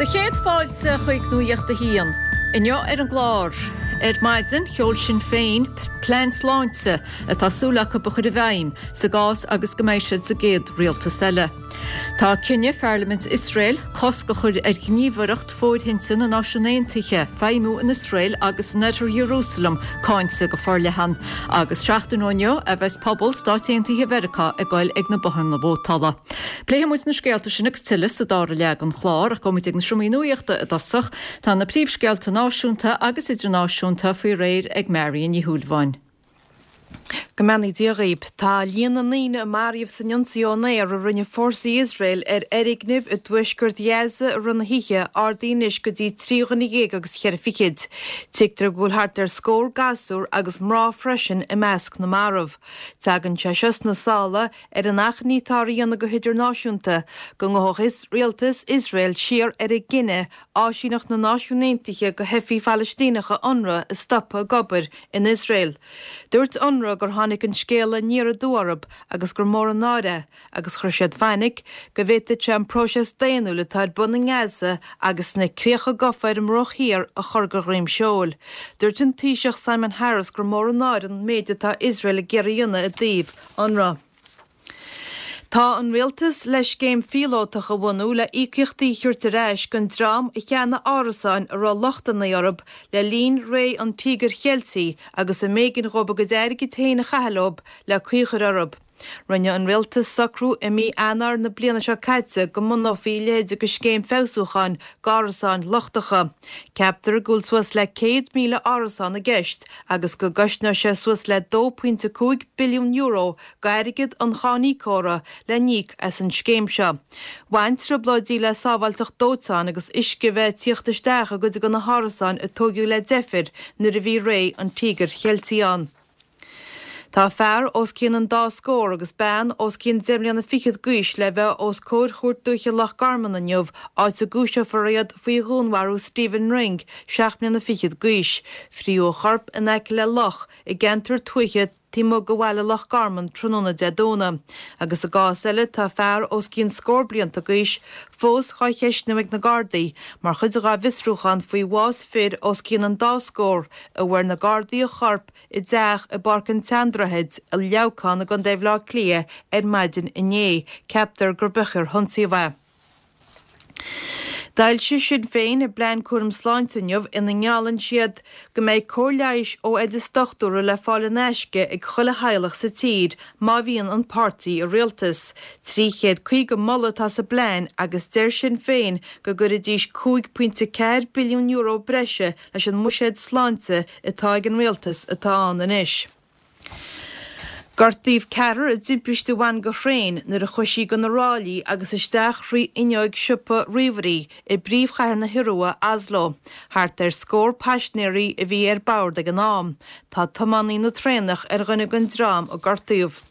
Do chéad fáilte chuig Nuacht a hAon. Inniu ar an gclár, ar maidin, sheol Sinn Féin plean sláinte atá súil acu a chur i bhfeidhm sa gcás agus go mbeidh siad sa gcéad rialtas eile. Tá cinneadh Pharlaimint Iosrael cosc a chur ar Ghníomhaireacht Fóirithinte na Náisiún Aontaithe feidhmiú in Iosrael agus in Oirthear Iarúsailéim cáinte go forleathan. Agus seachtain ó inniu a bheas pobal Stáit Aontaithe Mheiriceá ag goil ag na bothanna vótála. Pléifidh muid na scéalta sin agus tuilleadh sa dara leath den chlár ach gabhfaidh muid ag na seomraí nuachta i dtosach. Tá na príomhscéalta náisiúnta agus idirnáisiúnta faoi réir ag Marion Ní Shúilleabháin. Go mbeannaí Dia dhaoib. Tá líon na ndaoine a maraíodh san ionsaí ón aer a rinne fórsaí Iosrael ar fhoirgnimh i dtuaisceart Ghaza i rith na hoíche ardaithe anois go dtí 13 dhuine agus cheithre fichid. Tuigtear go bhfuil thart ar scór gasúr agus mná freisin i measc na marbh. Tagann sé seo sna sála ar an achainí atáthar a dhéanamh go hidirnáisiúnta go ngabhfadh rialtas Iosrael siar ar a gcinneadh áisíneacht na Náisiún Aontaithe do theifigh Phalaistíneacha Unrwa a stopadh ag obair in Iosrael. Dúirt Unrwa gur tháinig an scéala aniar aduaidh orthu agus gur mór an náire é agus chuir siad fainic go bhféadfadh sé an próiseas daonnúil atá ar bun i nGaza agus sna críocha gafa ar an mBruach Thiar a chur de dhroim seoil. Dúirt an Taoiseach Simon Harris gur mór an náire an méid atá Iosrael ag iarraidh a dhéanamh i dtaobh Unrwa. Tá an Rialtas le scéim phíolótach a bhunú le íocaíochtaí a thabhairt ar ais don dream a cheannaigh árasáin a raibh lochtanna orthu le linn ré an Tíogair Cheiltigh agus a mb'éigean dhóibh a gcuid airgid féin a chaitheamh leo le caoi a chur orthu. Rinne an Rialtas socrú i mí Eanáir na bliana seo caite go mbunófaí a leithéid de scéim feabhsúcháin d'árasáin lochtacha. Ceaptar go bhfuil suas le 100,000 árasán i gceist agus go gcosnóidh sé suas le €2.5 billiún d'airgead an cháiníocóra le n-íoc as an scéim seo. Bhain trioblóidí le sábháilteacht dóiteáin agus uisce a bheith ag tíocht isteach i gcuid de na hárasáin a tóigeadh le deifir nuair a bhí ré an Tíogair Cheiltigh ann. Tá fear os cionn an dá scór agus bean os cionn deich mbliana fichead d'aois le bheith os comhair Chúirt Dúiche Loch Garman inniu, áit a gcúiseofar iad faoi dhúnmharú Stephen Ring, seacht mbliana fichead d'aois. Fríodh a chorp in aice le loch i gceantar tuaithe taobh amuigh de bhaile Loch Garman tráthnóna Dé Domhnaigh. Agus i gcás eile tá fear os cionn scór blianta d'aois fós dhá cheistniú ag na Gardaí mar chuid dhá bhfiosrúchán faoi bhás fir os cionn an dá scór a bhfuair na Gardaí a chorp i dteach i bPáirc an tSeandroichid i Leamhcán i gContae Bhaile Átha Cliath ar maidin inné. Ceaptar gur b'é ar hionsaíodh é. D'fhoilsigh Sinn Féin a bplean cúram sláinte inniu ina ngeallann siad go mbeidh cóir leighis ó oideas dochtúra le fáil in aisce ag chuile theaghlach sa tír má bhíonn an páirtí i rialtas. 350 moladh atá sa bplean agus deir Sinn Féin go gcuirfidís €5.4 billiún breise leis an mbuiséad sláinte atá ag an rialtas atá ann anois. Gortaíodh ceathrar i dtimpiste a bhain de thraein nuair a chuaigh sí de na ráillí agus isteach thrí fhuinneoig siopa ríomhairí i bpríomhchathair na hIorua, Oslo. Thart ar scór paisinéirí a bhí ar bord ag an am. Tá tiománaí na traenach ar dhuine den dream a gortaíodh.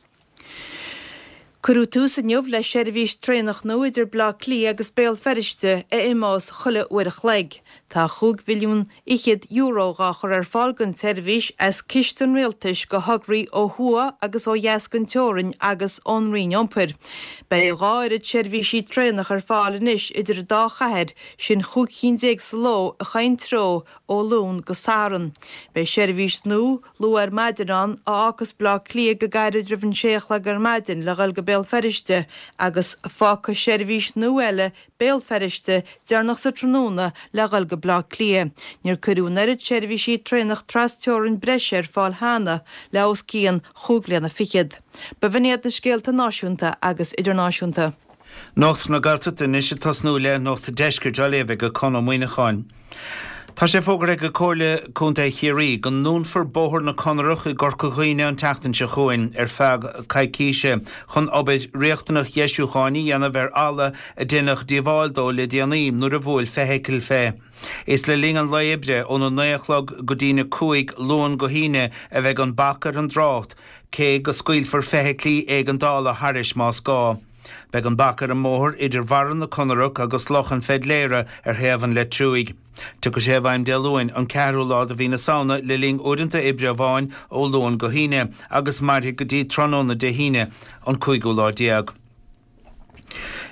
Cuireadh tús inniu le seirbhís traenach nua idir Baile Átha Cliath agus Béal Feirste a imeos chuile uair a chloig. Tá chúig mhilliún fhichead euro dhá chur ar fáil don tseirbhís as ciste an rialtais do thograí ó thuaidh agus ó dheas den teorainn agus ón Roinn Iompair. Beidh a dhá oiread seirbhísí traenach ar fáil anois idir an dá chathair, sin chúig chinn déag sa ló i chaon treo ó Luan go Satharn. Beidh seirbhís nua Luath ar maidin ann, a fhágfas Baile Átha Cliath go gairid roimh an sé a chlog ar maidin le dhul go Béal Feirste agus fágfaidh seirbhís nua eile Béal Feirste deireanach sa tráthnóna le dhul go Baile Átha Cliath. Níor cuireadh an oiread seirbhísí traenach tras-teorainn breise ar fáil cheana le os cionn chúig bliana fichead. B'in iad na scéalta náisiúnta agus idirnáisiúnta. Nuacht na Gaeltachta anois ag tosnú le Nuacht an Deiscirt á léamh ag Conn Ó Muíneacháin. Tá sé fógartha ag Comhairle Contae Chiarraí go ndúnfar Bóthar na Conarach i gCorca Dhuibhne an tseachtain seo chugainn ar feadh coicíse chun obair riachtanach dheisiúcháin a dhéanamh ar fhalla a deineadh díobháil dó le déanaí nuair a bhuail feithicil fé. Is le linn an lae oibre óna 9 a chlog go dtína 5 Luan go hAoine a bheidh an bac ar an dtrácht cé go scaoilfear feithiclí éigeandála thairis más gá. Beidh an bac ar an mbóthar idir Bharra na Conarach agus Loch an Pheidléara ar thaobh an Leitriúigh. Tiocfaidh sé i bhfeidhm Dé Luain, an ceathrú lá de mhí na Samhna le linn uaireanta oibre amháin ó Luan go hAoine agus mairfidh go dtí tráthnóna Dé hAoine, an cúigiú lá déag.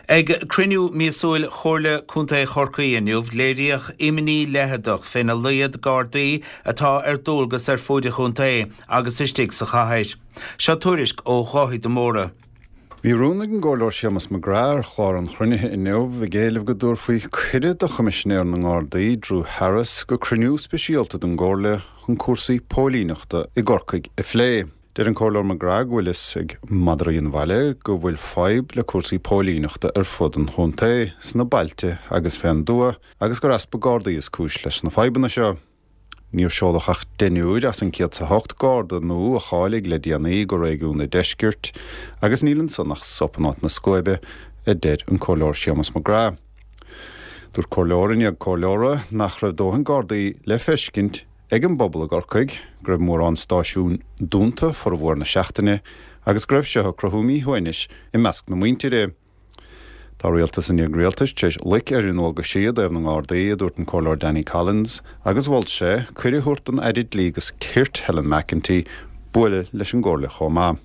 Ag cruinniú míosúil Chomhairle Contae Chorcaí inniu, léiríodh imní leitheadach féna laghad Gardaí atá ar dualgas ar fuaid an chontae agus istigh sa chathair. Seo tuairisc ó Dháithí de Mórdha. Bhí rún ag an gComhairleoir Séamus McGrath ar chlár an chruinnithe inniu ag éileamh go dtabharfaí cuireadh do Choimisinéir na nGardaí, Drew Harris, go cruinniú speisialta den gComhairle chun cúrsaí póilíneachta i gCorcaigh a phlé. Deir an Comhairleoir McGrath go bhfuil fhios ag madraí an bhaile go bhfuil fadhb le cúrsaí póilíneachta ar fud an chontae, sna bailte agus fén dtuath, agus gur easpa Gardaí is cúis leis na fadhbanna seo. Níor seoladh ach deichniúr as an 108 Garda nua a cháiligh le déanaí go réigiún an deiscirt agus níl ansan ach sop in áit na scuaibe, a deir an Comhairleoir Séamus McGrath. Dúirt comhairleoir i ndiaidh comhairleora nach raibh dóthain Gardaí le feiscint ag an bpobal i gCorcaigh, go raibh mórán stáisiún dúnta formhór na seachtaine agus go raibh seo ag cruthú míshuaimhnis i measc na muintire. Tá rialtas i ndiaidh rialtais tar éis loic ar a ndualgaisí i dtaobh na nGardaí, a dúirt an Comhairleoir Danny Collins, agus mhol sé cuireadh a thabhairt don Aire Dlí agus Cirt, Helen McEntee, bualadh leis an gComhairle chomh maith.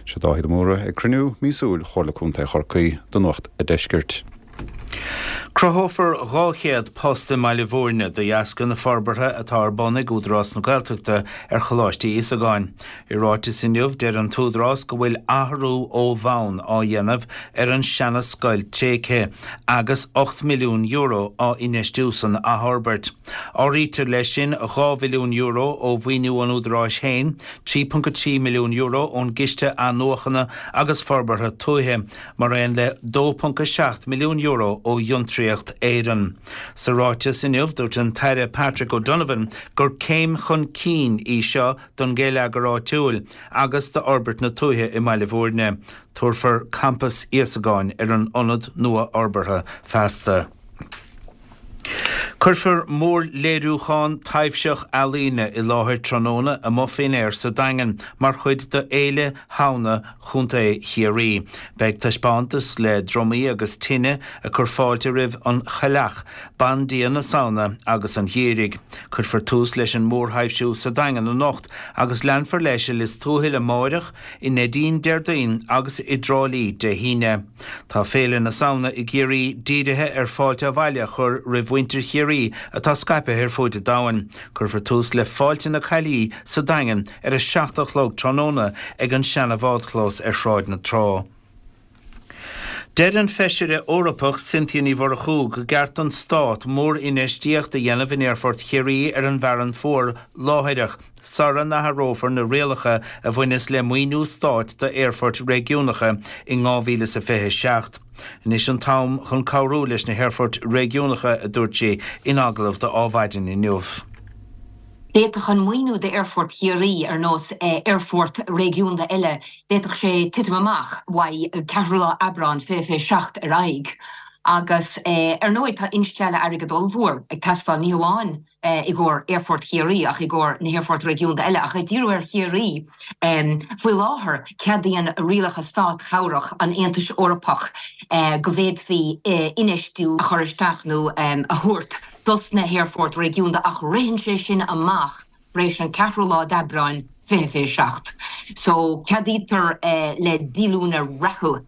Seo Dáithí de Mórdha ag cruinniú míosúil Chomhairle Contae Chorcaí do Nuacht a' Deiscirt. Cruthófar 200 post i mBaile Bhúirne de dheasca na forbartha atá ar bun ag Údarás na Gaeltachta ar Choláiste Íosagáin. I ráiteas inniu, deir an tÚdarás go bhfuil athrú ó bhonn á dhéanamh ar an seana-scoil tréigthe agus €8 milliún á infheistiú san athfhorbairt. Áirítear leis sin €2 mhilliún ó mhaoiniú an Údaráis féin, €3.3 milliún ón gCiste Athnuachana agus Forbartha Tuaithe, mar aon le €2.7 milliún ó Fhiontraíocht Éireann. Sa ráiteas inniu, dúirt an tAire Patrick O'Donovan gur céim chun cinn í seo don gheilleagar áitiúil agus d'fhorbairt na tuaithe i mBaile Bhúirne. Tabharfar Campas Íosagáin ar an ionad nua-fhorbartha feasta. Cuirfear mórléiriúchán taibhseach ealaíne i láthair tráthnóna amuigh faoin aer sa Daingean mar chuid de Fhéile Shamhna Chontae Chiarraí. Beidh taispeántas le drumaí agus tine ag cur fáilte roimh an Chailleach, Bandia na Samhna agus an Gheimhridh. Cuirfear tús leis an mórthaibhsiú sa Daingean anocht agus leanfar leis i Lios Tuathail amáireach, i Neidín Déardaoin agus i dTrá Lí Dé hAoine. Tá Féile na Samhna i gCiarraí dírithe ar fáilte abhaile a chur roimh mhuintir Chiarraí atá scaipthe ar fuaid an domhain. Cuirfear tús le Fáilte na Caillí sa Daingean ar a 7 a chlog tráthnóna ag an seana-bhádchlós ar Shráid na Trá. Deir an Feisire Eorpach Cynthia Ní Mhurchú go gceart don Stát mórinfheistíocht a dhéanamh in Aerfort Chiarraí ar an bhFearann Fuar láithreach sara n-athrófar na rialacha a bhaineas le maoiniú stáit d'aerfoirt réigiúnacha in 2027. Anois an t-am chun cabhrú leis na haerfoirt réigiúnacha, a dúirt sí in agallamh do Adhmhaidin inniu. D'fhéadfadh an maoiniú d'aerfort Chiarraí, ar nós aerfort réigiúnda eile, d'fhéadfadh sé titim amach uaidh 4ú lá Aibreán 2027 ar aghaidh. Agus ar ndóigh tá instealladh airgid ollmhór ag teastáil, ní hamháin i gcomhair Aerfort Chiarraí ach i gcomhair na haerfoirt réigiúnda eile. Ach ag díriú ar Chiarraí, faoi láthair ceadaíonn rialacha státchabhrach an Aontais Eorpach go bhféadfaí infheistiú a chur isteach nó a thabhairt dos na haerfoirt réigiúnda ach ritheann sé sin amach tar éis an 4ú lá d'Aibreán 2027. So ceadaítear le díolúine reatha,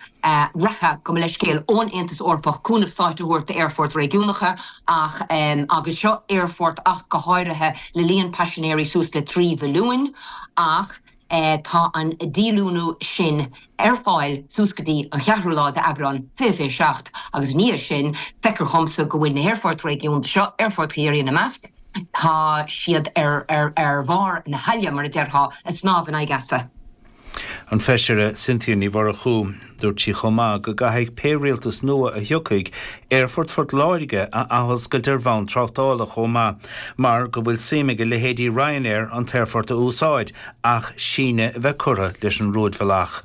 reatha, gabh mo leithscéal, ón Aontas Eorpach cúnamh stáit a thabhairt d'aerfoirt réigiúnacha ach, agus seo aerfort ach go háirithe le líon paisinéirí suas le 3 mhilliúin, ach tá an díolúnú sin ar fáil suas go dtí an 4ú lá d'Aibreán 2027 agus i ndiaidh sin feictear dhomsa go bhfuil na haerfoirt réigiúnda seo, Aerfort Chiarraí ina measc, tá siad ar ar bharr na haille, mar a déarfá, ag snámh in aghaidh easa. An Feisire Cynthia Ní Mhurchú. Dúirt sí chomh maith go gcaithfidh pé rialtas nua a thiocfaidh Aerfort Phort Láirge a athoscailt ar bhonn tráchtála chomh maith mar go bhfuil suim ag a leithéidí Ryanair an t-aerfort a úsáid ach síneadh a bheith curtha leis an rúidbhealach.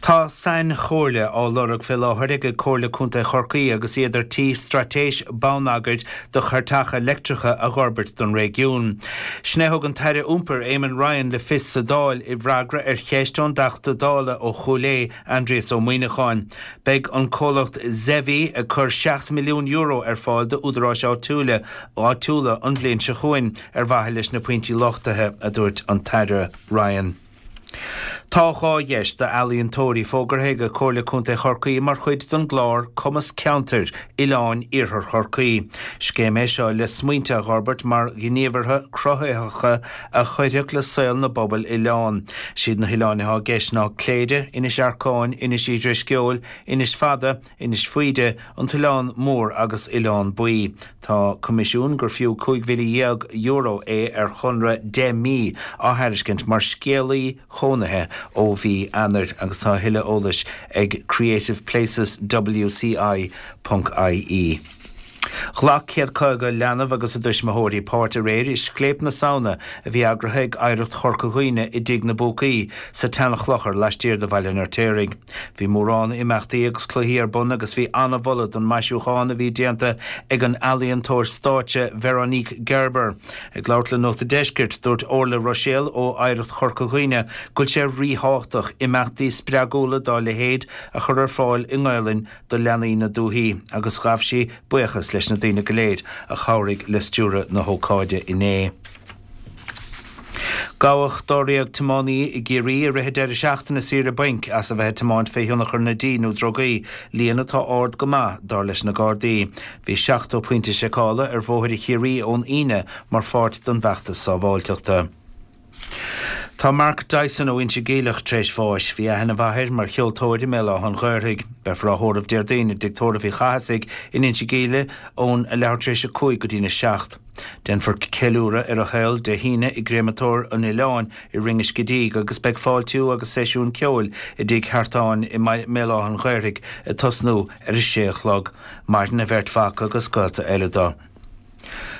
Tá sainchomhairle á lorg fé láthair ag Comhairle Contae Chorcaí agus iad ar tí straitéis bonneagair do chairteacha leictreacha a dh'fhorbairt don réigiún. Sin é a thug an tAire Iompair Eamon Ryan le fios sa Dáil i bhfreagra ar cheist ón dTeachta Dála ó Chúil Aodha, Aindrias Ó Muimhneacháin. Beidh an comhlacht Zevi ag cur €7 milliún ar fáil d'údaráis áitiúla áitiúla an bhliain seo chugainn ar mhaithe leis na pointí luchtaithe, a dúirt an tAire Ryan. Tá 2 dheis d'ealaíontóirí fógartha ag Comhairle Contae Chorcaí mar chuid den gclár Cumas Ceantair Oileáin Iarthar Chorcaí. Scéim é seo le smaointe a dh'fhorbairt mar ghníomhartha cruthaitheacha a chuirfeadh le saol na bpobal oileán. Siad na hoileáin atá i gceist ná Cléire, Inis Earcáin, Inis Uí Drisceoil, Inis Fada, Inis Faoide, An tOileán Mór agus Oileán Baoi. Tá coimisiún gur fiú €15,000 é ar chonradh 10 mí á thairiscint mar scéalaí chónaithe ó mhí Eanáir agus tá a thuilleadh eolais ag creativepleceswci ponc ie. Ghlac 150 leanbh agus a dtuismitheoirí páirt aréir i Scléip na Samhna a bhí eagraithe ag Oidhreacht Chorca Dhuibhne i dTigh na bPúcaí sa tSeanchlochar laistiar de Bhaile an Fheirtéaraigh. Bhí mórán imeachtaí agus cluichí ar bun agus bhí an-mholadh don maisiúchán a bhí déanta ag an ealaíontóir stáitse Veronique Gerber. Ag labhairt le Nuacht a' Deiscirt, dúirt Orla Ruiséal ó Oidhreacht Chorca Dhuibhne go bhfuil sé ríthábhachtach imeachtaí spreagúla dá leithéid a chur ar fáil i nGaelainn do leanaí na dúthaí agus ghabh sí buíochas leis na daoine go léir a chabhraigh le stiúradh na hócáide inné. Gabhadh dáréag tiománaí i gCiarraí i rith an deireadh seachtaine saoire bainc as a bheith ag tiomáint fé thionchar na dí nó drugaí, líon atá ard go maith, dar leis na Gardaí. Bhí 70 pointe seiceála ar bhóithre Chiarraí ón Aoine mar pháirt den bhfeachtas sábháilteachta. Tá Mark Dyson ó Inse Geimhleach tar éis bháis. Bhí aithne mhaith air mar cheoltóir i mBéal Átha an Ghaorthaidh. Beifear á thórramh Déardaoin i dTigh Tórraimh Uí Chathasaigh in Inse Geimhligh ón a leathuair tar éis a 5 go dtína 7. Déanfar ceiliúradh ar a shaol Dé hAoine i gCréamatóir an Oileáin i Rinn an Scidígh agus beidh fáiltiú agus seisiún ceoil i dTigh Sheartáin i mBéal Átha an Ghaorthaidh ag tosnú ar a sé a chlog. Maireann a bheirt mhac agus gaolta eile dó.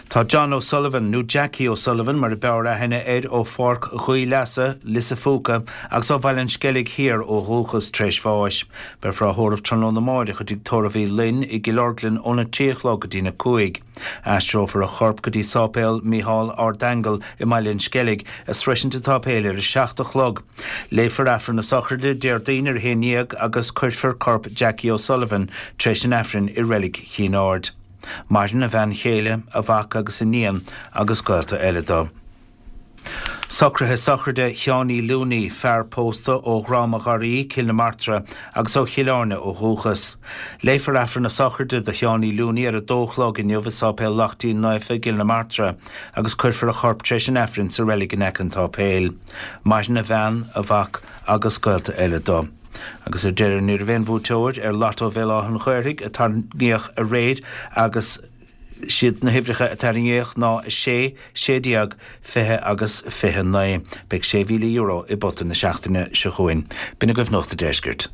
Tá John O'Sullivan, nó Jackie O'Sullivan mar a b'fhearr aithne air, ó Pháirc Ghaoth Leasa, Lios a' Phúca, agus ó Bhaile an Sceilg Thiar ó dhúchas, tar éis bháis. Beifear á thórramh tráthnóna amáireach i dTigh Tórraimh Uí Fhloinn i gCill Orglan óna trí a chlog go dtína cúig. Aistreofar a chorp go dtí Sáipéal Mícheál Ardaingeal i mBaile an Sceilg, ag sroisint an tsáipéil ar a 7 a chlog. Léifear Aifreann na sochraide Déardaoin ar a haon dhéag agus cuirfear corp Jackie O'Sullivan tar éis an Aifrinn i Reilig Chinn Aird. Maireann a bhean chéile, a mhac agus a níon agus gaolta eile dó. Socruithe sochraide Sheánie Looney, fear pósta ó Dhrom a' Gharraí, Cill na Martra, agus ó Chill Airne ó dhúchas. Léifear Aifreann na sochraide do Sheánie Looney ar a dó a chlog inniu i Sáipéal Lachtaín Naofa i gCill na Martra agus cuirfear a chorp tar éis an Aifrinn sa reilig in aice an tsáipéil. Maireann a bhean, a mhac agus gaolta eile dó. Agus ar deireadh, ní raibh aon bhuaiteoir ar Lotto Bhéal Átha an Ghaorthaidh a tarraingíodh aréir agus siad na huimhreacha a tarraingíodh ná 6, 16, 20 agus 29. Beidh €6,000 i bpota na seachtaine seo chugainn. B'in agaibh Nuacht a' Deiscirt.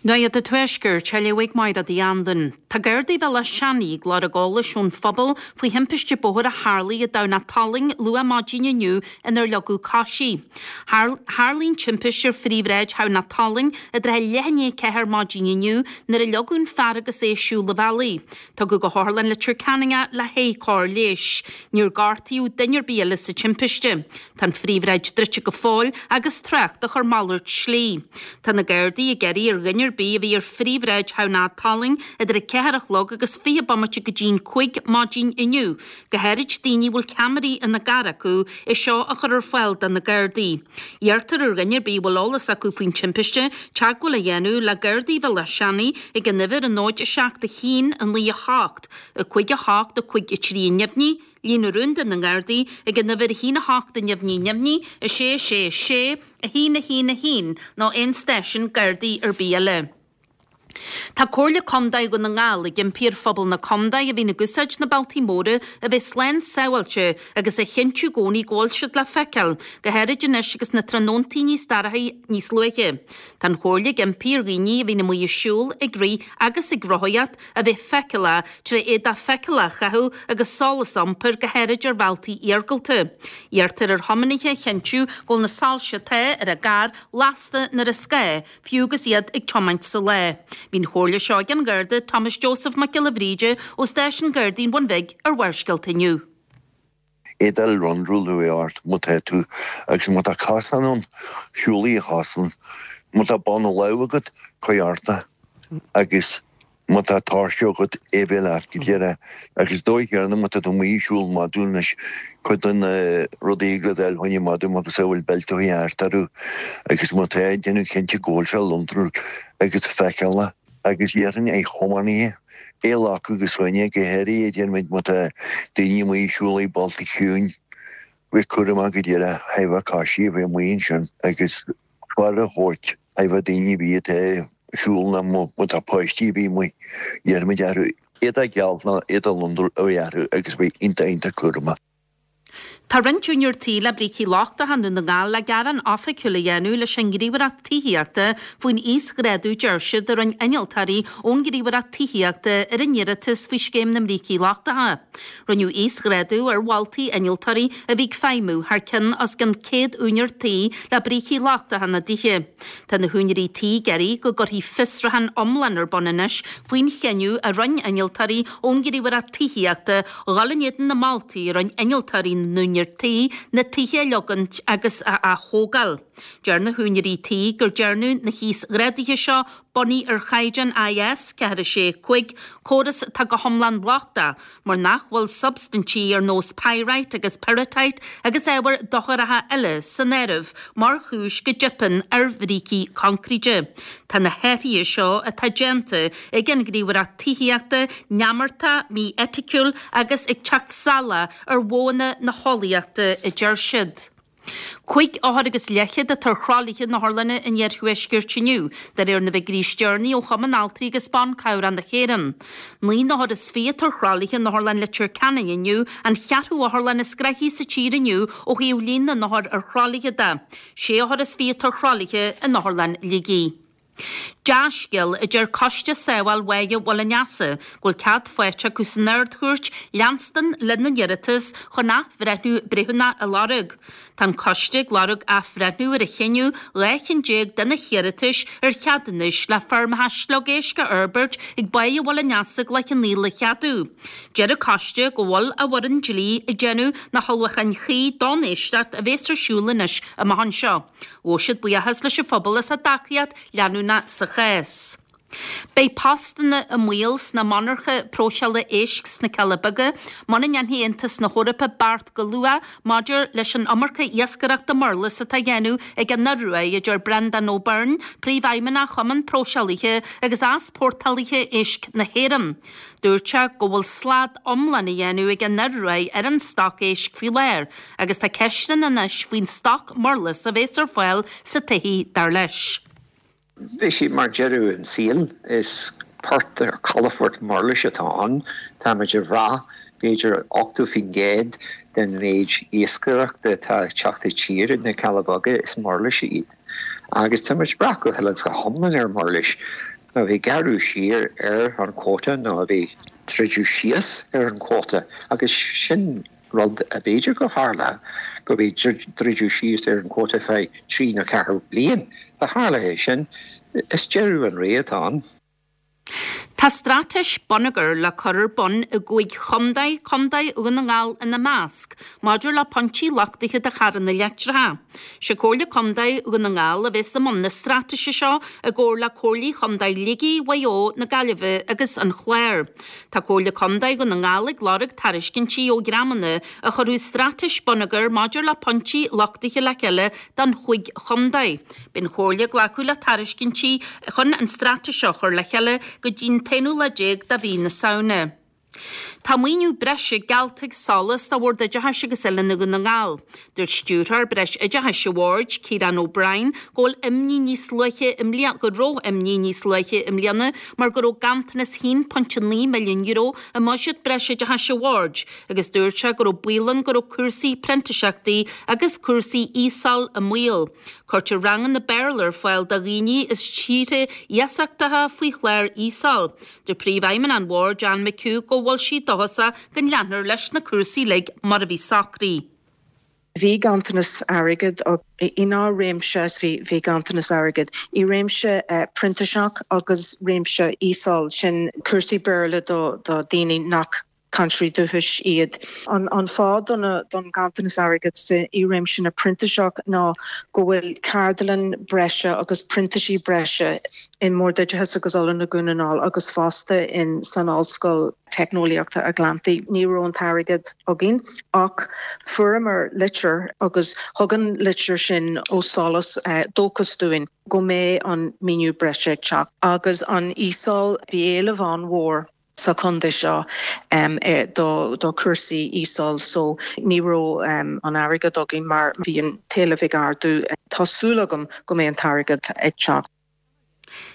Nuacht an Tuaiscirt, á léamh ag Máire Uí Anluain. Tá Gardaí Bhéal Átha Seanaidh ag lorg eolais ón phobal faoi thimpiste bóthair a tharlaigh i dTamhnach Talainn luath maidin inniu inar leagadh coisí. Tharlaigh an timpiste ar phríomhshráid Thamhnach Talainn i dtrátha leath i ndiaidh 4 maidin inniu nuair a leagadh an fear agus é ag siúl an bhealaigh. Tugadh go hOtharlann Leitir Ceanainn é le haghaidh cóir leighis. Níor gortaíodh duine ar bith eile sa timpiste. Tá an phríomhshráid druidte go fóill agus trácht á chur malairt slí. Tá na Gardaí ag iarraidh ar dhuine ar bith a bhí ar phríomhshráid Thamhnach Talainn idir a 4 a chlog agus 20 bomaite go dtí'n 5 maidin inniu, go háirid daoine a bhfuil ceamaraí ina gcarr acu, é seo a chur ar fáil do na Gardaí. Iarrtar ar dhuine ar bith a bhfuil eolas acu faoin timpiste teagmháil a dhéanamh le Gardaí Bhéal Átha Seanaidh ag an uimhir 0 7 1 9 8 5 8 5 3 neamhní, Líne rúnda na nGardaí ag an uimhir 1 8 neamhní neamhní 6 6 6 1 1 1 nó aon stáisiún Gardaí ar bith eile. Tá Comhairle Contae Dhún na nGall ag impí ar phobal na contae a bhíonn ag úsáid na bealtaí móra a bheith slán sábháilte agus a chinntiú i gcónaí go bhfuil siad le feiceáil, go háirid anois agus na tráthnóntaí níos dorchaí níos luaithe. Tá an Chomhairle ag impí ar dhaoine a bhíonn amuigh ag siúl, ag rith agus ag rothaíocht a bheith feiceálach tré éadach feiceálach a chaitheamh agus solas a iompar, go háirid ar bhealtaí iargúlta. Iarrtar ar thiománaithe a chinntiú go bhfuil na soilse atá ar a gcarr lasta nuair is gá, fiú agus iad ag tiomáint sa lá. Bhí an chomhairle seo ag an Gharda Thomas Joseph Mac Giolla Bhríde ó Stáisiún Gardaí an Bhun Bhig ar Bharrscéalta inniu. Éadail lonrúil a bheith ort má tá tú agus má tá cosán ann, siúlaigh an chosán. Má tá bonna lámh agat, cuir ort é agus. Má tá tóirse agat, é bheith leat go díreach. Agus is dóigh chéanna má tá tú amuigh ag siúl madadh anois, cuid de na rudaí a gabháil fá choinne madadh macasamhail beilteachaí thart orthu agus má tá, déanamh cinnte go bhfuil sé lonrúil agus feiceálach. Agus déarfainn ar thiománaithe, é a ghlacadh go soineanta, go háirithe déarfaimid má tá daoine amuigh ag siúl i bailte ciúin, bheith cúramach go díreach, thaobh coisithe a bheith amuigh ansin agus faire a thabhairt thaobh daoine a bhí atá ag siúl nó má tá páistí a bhí amuigh, déarfaimid orthu éadach geal nó éadach lonrúil a bheith orthu agus bheith iontach iontach cúramach. Tá roinnt úinéir tí le brící lochtacha i nDún na nGall le gearán oifigiúil a dhéanamh leis an nGníomhaireacht Tithíochta faoin íosghrádú deir siad a rinne innealtóirí ón nGníomhaireacht Tithíochta ar a n-iarratas faoi Scéim na mBrící Lochtacha. Rinneadh íosghrádú ar mholtaí innealtóirí a bhí ag feidhmiú thar ceann os cionn 100 úinéir tí le brící lochtacha ina dtithe. Tá na húinéirí tí ag iarraidh go gcuirfí fiosrúchán iomlán ar bun anois faoin chinneadh a rinne innealtóirí ón nGníomhaireacht Tithíochta dhul in éadan na moltaí a rinne innealtóirí na n-úinéir tí na tithe a leogaint agus a ath-thógáil. Deir na húinéirí tí gur dearnadh na híosghráduithe seo bunaithe ar chaighdeán IS 4 6 5, córas atá go hiomlán lochtach mar nach bhfuil substaintí ar nós pyrite agus pyrrhotite agus ábhair docharacha eile san áireamh mar chúis go dteipeann ar bhrící coincréite. Tá na hathruithe seo atá déanta ag an Ghníomhaireacht Tithíochta neamartach, mí-eiticiúil agus ag teacht salach ar mhodhanna na heolaíochta, a deir siad. Cúig othar agus leathchéad atá ar thralaithe na hotharlainne an iarthuaiscirt inniu, de réir na bhfigiúirí is deireanaí ó Chumann Altraí agus Ban Cabhrach na hÉireann. 29 atá ar thralaithe in Otharlann Leitir Ceanainn inniu, an cheathrú otharlann is gnoithí sa tír inniu ó thaobh líon na n-othar ar thralaithe de. Sé othar is fiche atá ar thralaithe in Otharlann Shligigh. Dea-scéal, a deir Coiste Sábháil Bháighe Mhuileann Easa, go bhfuil cead faighte acu san Ard-Chúirt leanstan lena n-iarratas chun athbhreithniú breithiúnach a lorg. Tá an Coiste ag lorg athbhreithniú ar a chinneadh 12 cheann de na hiarratais ar cheadúnais le feirmeacha sliogéisc a fhorbairt ag Báighe Mhuileann Easa i gCloich Cheann Fhaola a cheadú. Deir an Coiste go bhfuil a bhfoireann dlí ag déanamh na hullmhúcháin chuí don éisteacht a bhéas ar siúl anois amach anseo. Ghabh siad buíochas leis an phobal as a dtacaíocht leanúnach sa chás. Beidh postanna i mbaol sna monarcha próiseála éisc sna Cealla Beaga muna ndéanfaidh Aontas na hEorpa beart go luath maidir leis an iomarca iascaireachta murlas atá á dhéanamh ag an Ioruaidh, a deir Breandán Ó Beirn, Príomhfheidhmeannach Chumann Próiseálaithe agus Easpórtálaithe Éisc na hÉireann. Dúirt sé go bhfuil slad iomlán á dhéanamh ag an Ioruaidh ar an stoc éisc faoi láthair agus tá ceisteanna anois faoin stoc murlas a bhéas ar fáil sa todhchaí, dar leis. Bheadh sé mar deireadh an tsaoil. Is port ar calafort murlais atá ann. Táimid ag brath b'fhéidir 80% den mhéid iascaireachta atá ag teacht i dtír na Cealla Beaga, is murlais iad. Agus táimid ag brath go huile is go hiomlán ar murlais. Má bhí gearradh siar ar an quota nó a bhí druideadh síos ar an quota agus sin rud a b'fhéidir go tharla go bhí druideadh síos ar an quota feadh trí nó ceathair bliain. Dá tharla é sin, is deireadh an ré atá ann. Tá straitéis bonneagair le cur ar bun i gcúig chontae, Contae Dhún na nGall ina measc, maidir le pointí luchtaithe do charranna leictreacha. Sé Comhairle Contae Dhún na nGall a bhéas i mbun na straitéise seo i gcomhar le Comhairlí Chontae Shligigh, Mhaigh Eo, na Gaillimhe agus an Chláir. Tá Comhairle Contae Dhún na nGall ag lorg tairiscintí ó dhreamanna a chuirfeadh straitéis bonneagair maidir le pointí luchtaithe le chéile don chúig chontae. Beidh an Chomhairle ag glacadh le tairiscintí chun an straitéis seo a chur le chéile go dtí'n t-aonú lá déag de mhí na Samhna. Tá maoiniú breise geallta ag SOLAS do Bhord Oideachais agus Oiliúna Dhún na nGall. Dúirt Stiúrthóir Breis Oideachais an Bhoird, Ciarán O'Brien, go bhfuil imní níos luaithe i mbliana go raibh imní níos luaithe i mbliana mar go raibh ganntanas €1.9 milliún i mbuiséad breis oideachais an Bhoird agus dúirt sé go raibh baol ann go raibh cúrsaí printiseachtaí agus cúrsaí ESOL i mbaol. Cuirtear ranganna Béarla ar fáil do dhaoine as tíortha iasachtacha faoi chlár ESOL. Deir Príomhfheidhmeannach an Bhoird, Anne McHugh, go bhfuil sí dóchasach go leanfar leis na cúrsaí uilig mar a bhí socraithe. Bhí ganntanas airgid i ndá réimse is bhí ganntanas airgid i réimse printiseach agus réimse ESOL, sin cúrsaí Béarla do dhaoine nach. Cainteoirí dúchais iad. An fáth don ganntanas airgid i réimse na printiseach ná go bhfuil ceardlann breise agus printisí breise i mBord Oideachais agus Oiliúna Dhún na nGall agus fosta in san Ollscoil Teicneolaíochta Atlantaigh. Ní raibh an t-airgead againn ach fuaireamar litir agus thug an litir sin ó SOLAS dóchas dúinn go mbeidh an maoiniú breise ag teacht. Agus an ESOL, bhí éileamh an-mhór. sa chontae seo do chúrsaí ESOL so ní raibh an airgead againn mar bhí an t-éileamh ag ardú. Tá súil agam go mbeidh an t-airgead ag teacht.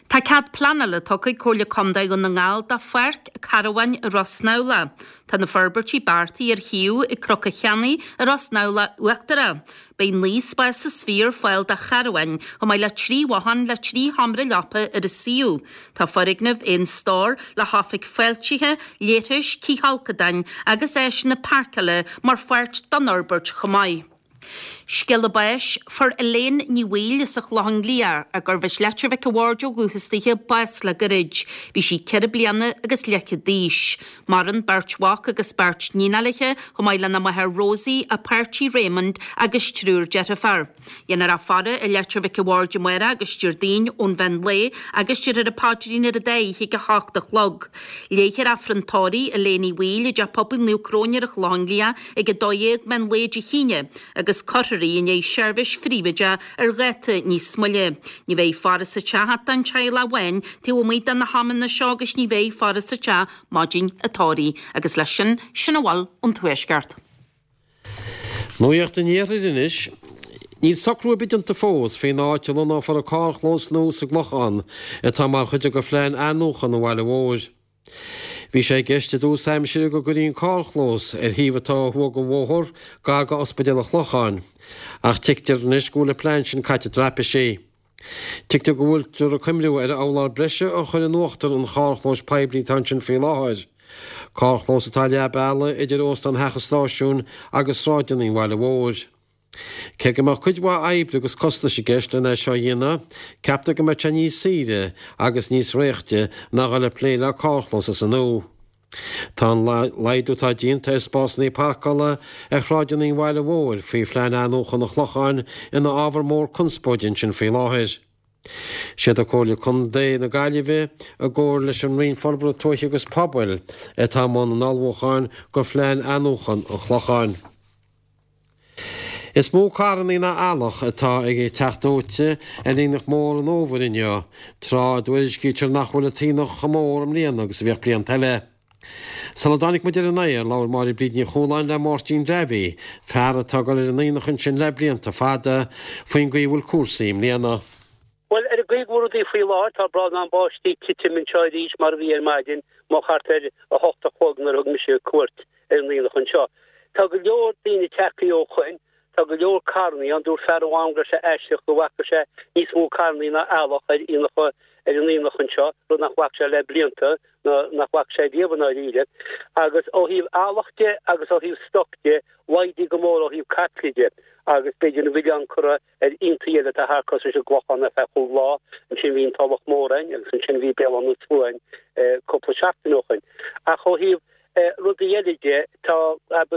Tá cead pleanála tugtha ag Comhairle Contae Dhún na nGall do pháirc carbháin i Ros nAmhla. Tá na forbairtí beartaithe ar shuíomh ag Cnoc an Cheannaigh i Ros nAmhla Uachtarach. Beidh 9 spás is fiche ar fáil do charbháin, chomh maith le 3 bhothán le 3 sheomra leapa ar an suíomh. Tá foirgneamh aon stór le hoifig fáiltithe, leithris, cithfholcadáin agus áiseanna páirceála mar pháirt den fhorbairt chomh maith. Scéala báis, Fuair Elaine Ní Bhaoill as an Chlochán Liath, gurbh as Leitir Mhic a' Bhaird ó dhúchas dithe, bás le gairid. Bhí sí 4 bliana agus leathchéad d'aois. Maireann beirt mhac agus beirt níon léithe, chomh maith lena máthair Rosie, a páirtí Raymond agus triúr deirfiúr. Dhéanfar a faire i Leitir Mhic a' Bhaird amárach agus Déardaoin ón mheán lae agus déarfar an paidrín ar an dá oíche ag 8 a chlog. Léifear Aifreann tórraimh Elaine Uí Bhaoill i dTeach Pobail Naomh Cróine ar an Chlochán Liath ag 12 meán lae Dé hAoine agus cuirfear í i ndiaidh seirbhís phríobháideach ar dháta níos moille. Ní bheidh faire sa teach ach don teaghlach amháin taobh amuigh de na hamanna seo agus ní bheidh faire sa teach maidin an tórraimh. Agus leis sin, sin a bhfuil ón Tuaisceart. Nuacht an Iarthair anois. Níl socrú ar bith déanta fós faoin áit a lonnófar an carrchlós nua sa gClochán atá mar chuid de phlean athnuachan an bhaile mhóir. Bhí sé i gceist i dtús aimsire go gcuirfí an carrchlós ar thaobh atá ó thuaidh den bhóthar, gar go Ospidéal an Chlocháin, ach tuigtear anois go bhfuil an plean sin caite i dtraipisí. Tuigtear go bhfuiltear ag cuimhniú ar urlár breise a chur in uachtar an charrchlóis poiblí atá ansin faoi láthair, carrchlós atá leath bealaigh idir Óstán Theach an Stáisiúin agus sráideanna an bhaile mhóir. Cé go mbeadh cuid mhaith oibre agus costais i gceist len é seo a dhéanamh, ceaptar go mbeadh sé níos saoire agus níos réichte ná dhul ag plé le carrchlós as an nua. Tá an laghdú atá déanta ar spásanna parcála ar shráideanna an bhaile mhóir faoi phlean athnuachan an Chlocháin ina ábhar mór conspóide ansin faoi láthair. Siad Comhairle Contae na Gaillimhe, i gcomhar leis an Roinn Forbartha Tuaithe agus Pobail, atá i mbun an ullmhúcháin go phlean athnuachan an Chlocháin. Is mó carrannaí ná eallach atá ag teacht dóite ar Aonach Mór an Fhómhair inniu, tráth a dtuairiscítear nach bhfuil an t-aonach chomh mór i mbliana agus a bhíodh blianta eile. Sula dtáinig muid ar an aer, labhair Máire Bríd Ní Chualáin le Máirtín Davy, fear atá ag dul ar an aonach ansin le blianta fada, faoin gcaoi a bhfuil cúrsaí i mbliana. Bhuel, ar an gcaoi go bhfuil rudaí faoi láthair, tá brádán báistí ag titim anseo arís mar a bhí ar maidin, moch thart ar a hocht a chlog nuair a thug mise cuairt ar an aonach anseo. Tá go leor daoine tagtha ó shoin, tá go leor carrannaí ann. Dúirt fear amháin go raibh sé aisteach go bhfaca sé níos mó carrannaí ná eallach ar aonach ar an aonach anseo, rud nach bhfaca sé le blianta, ná nach bhfaca sé riamh i ndáiríre. Agus ó thaobh eallach de agus ó thaobh stoc de, laghdaithe go mór ó thaobh caiple de, agus b'fhéidir an milleán curtha ar aontaí eile atá thart cosúil leis an gClochán ar feadh chúig lá, ansin bhí an Tulach Mhór ann agus ansin bhí Béal Átha na Sluaighe ann cúpla seachtain ó shoin. Ach ó thaobh rudaí eile de, tá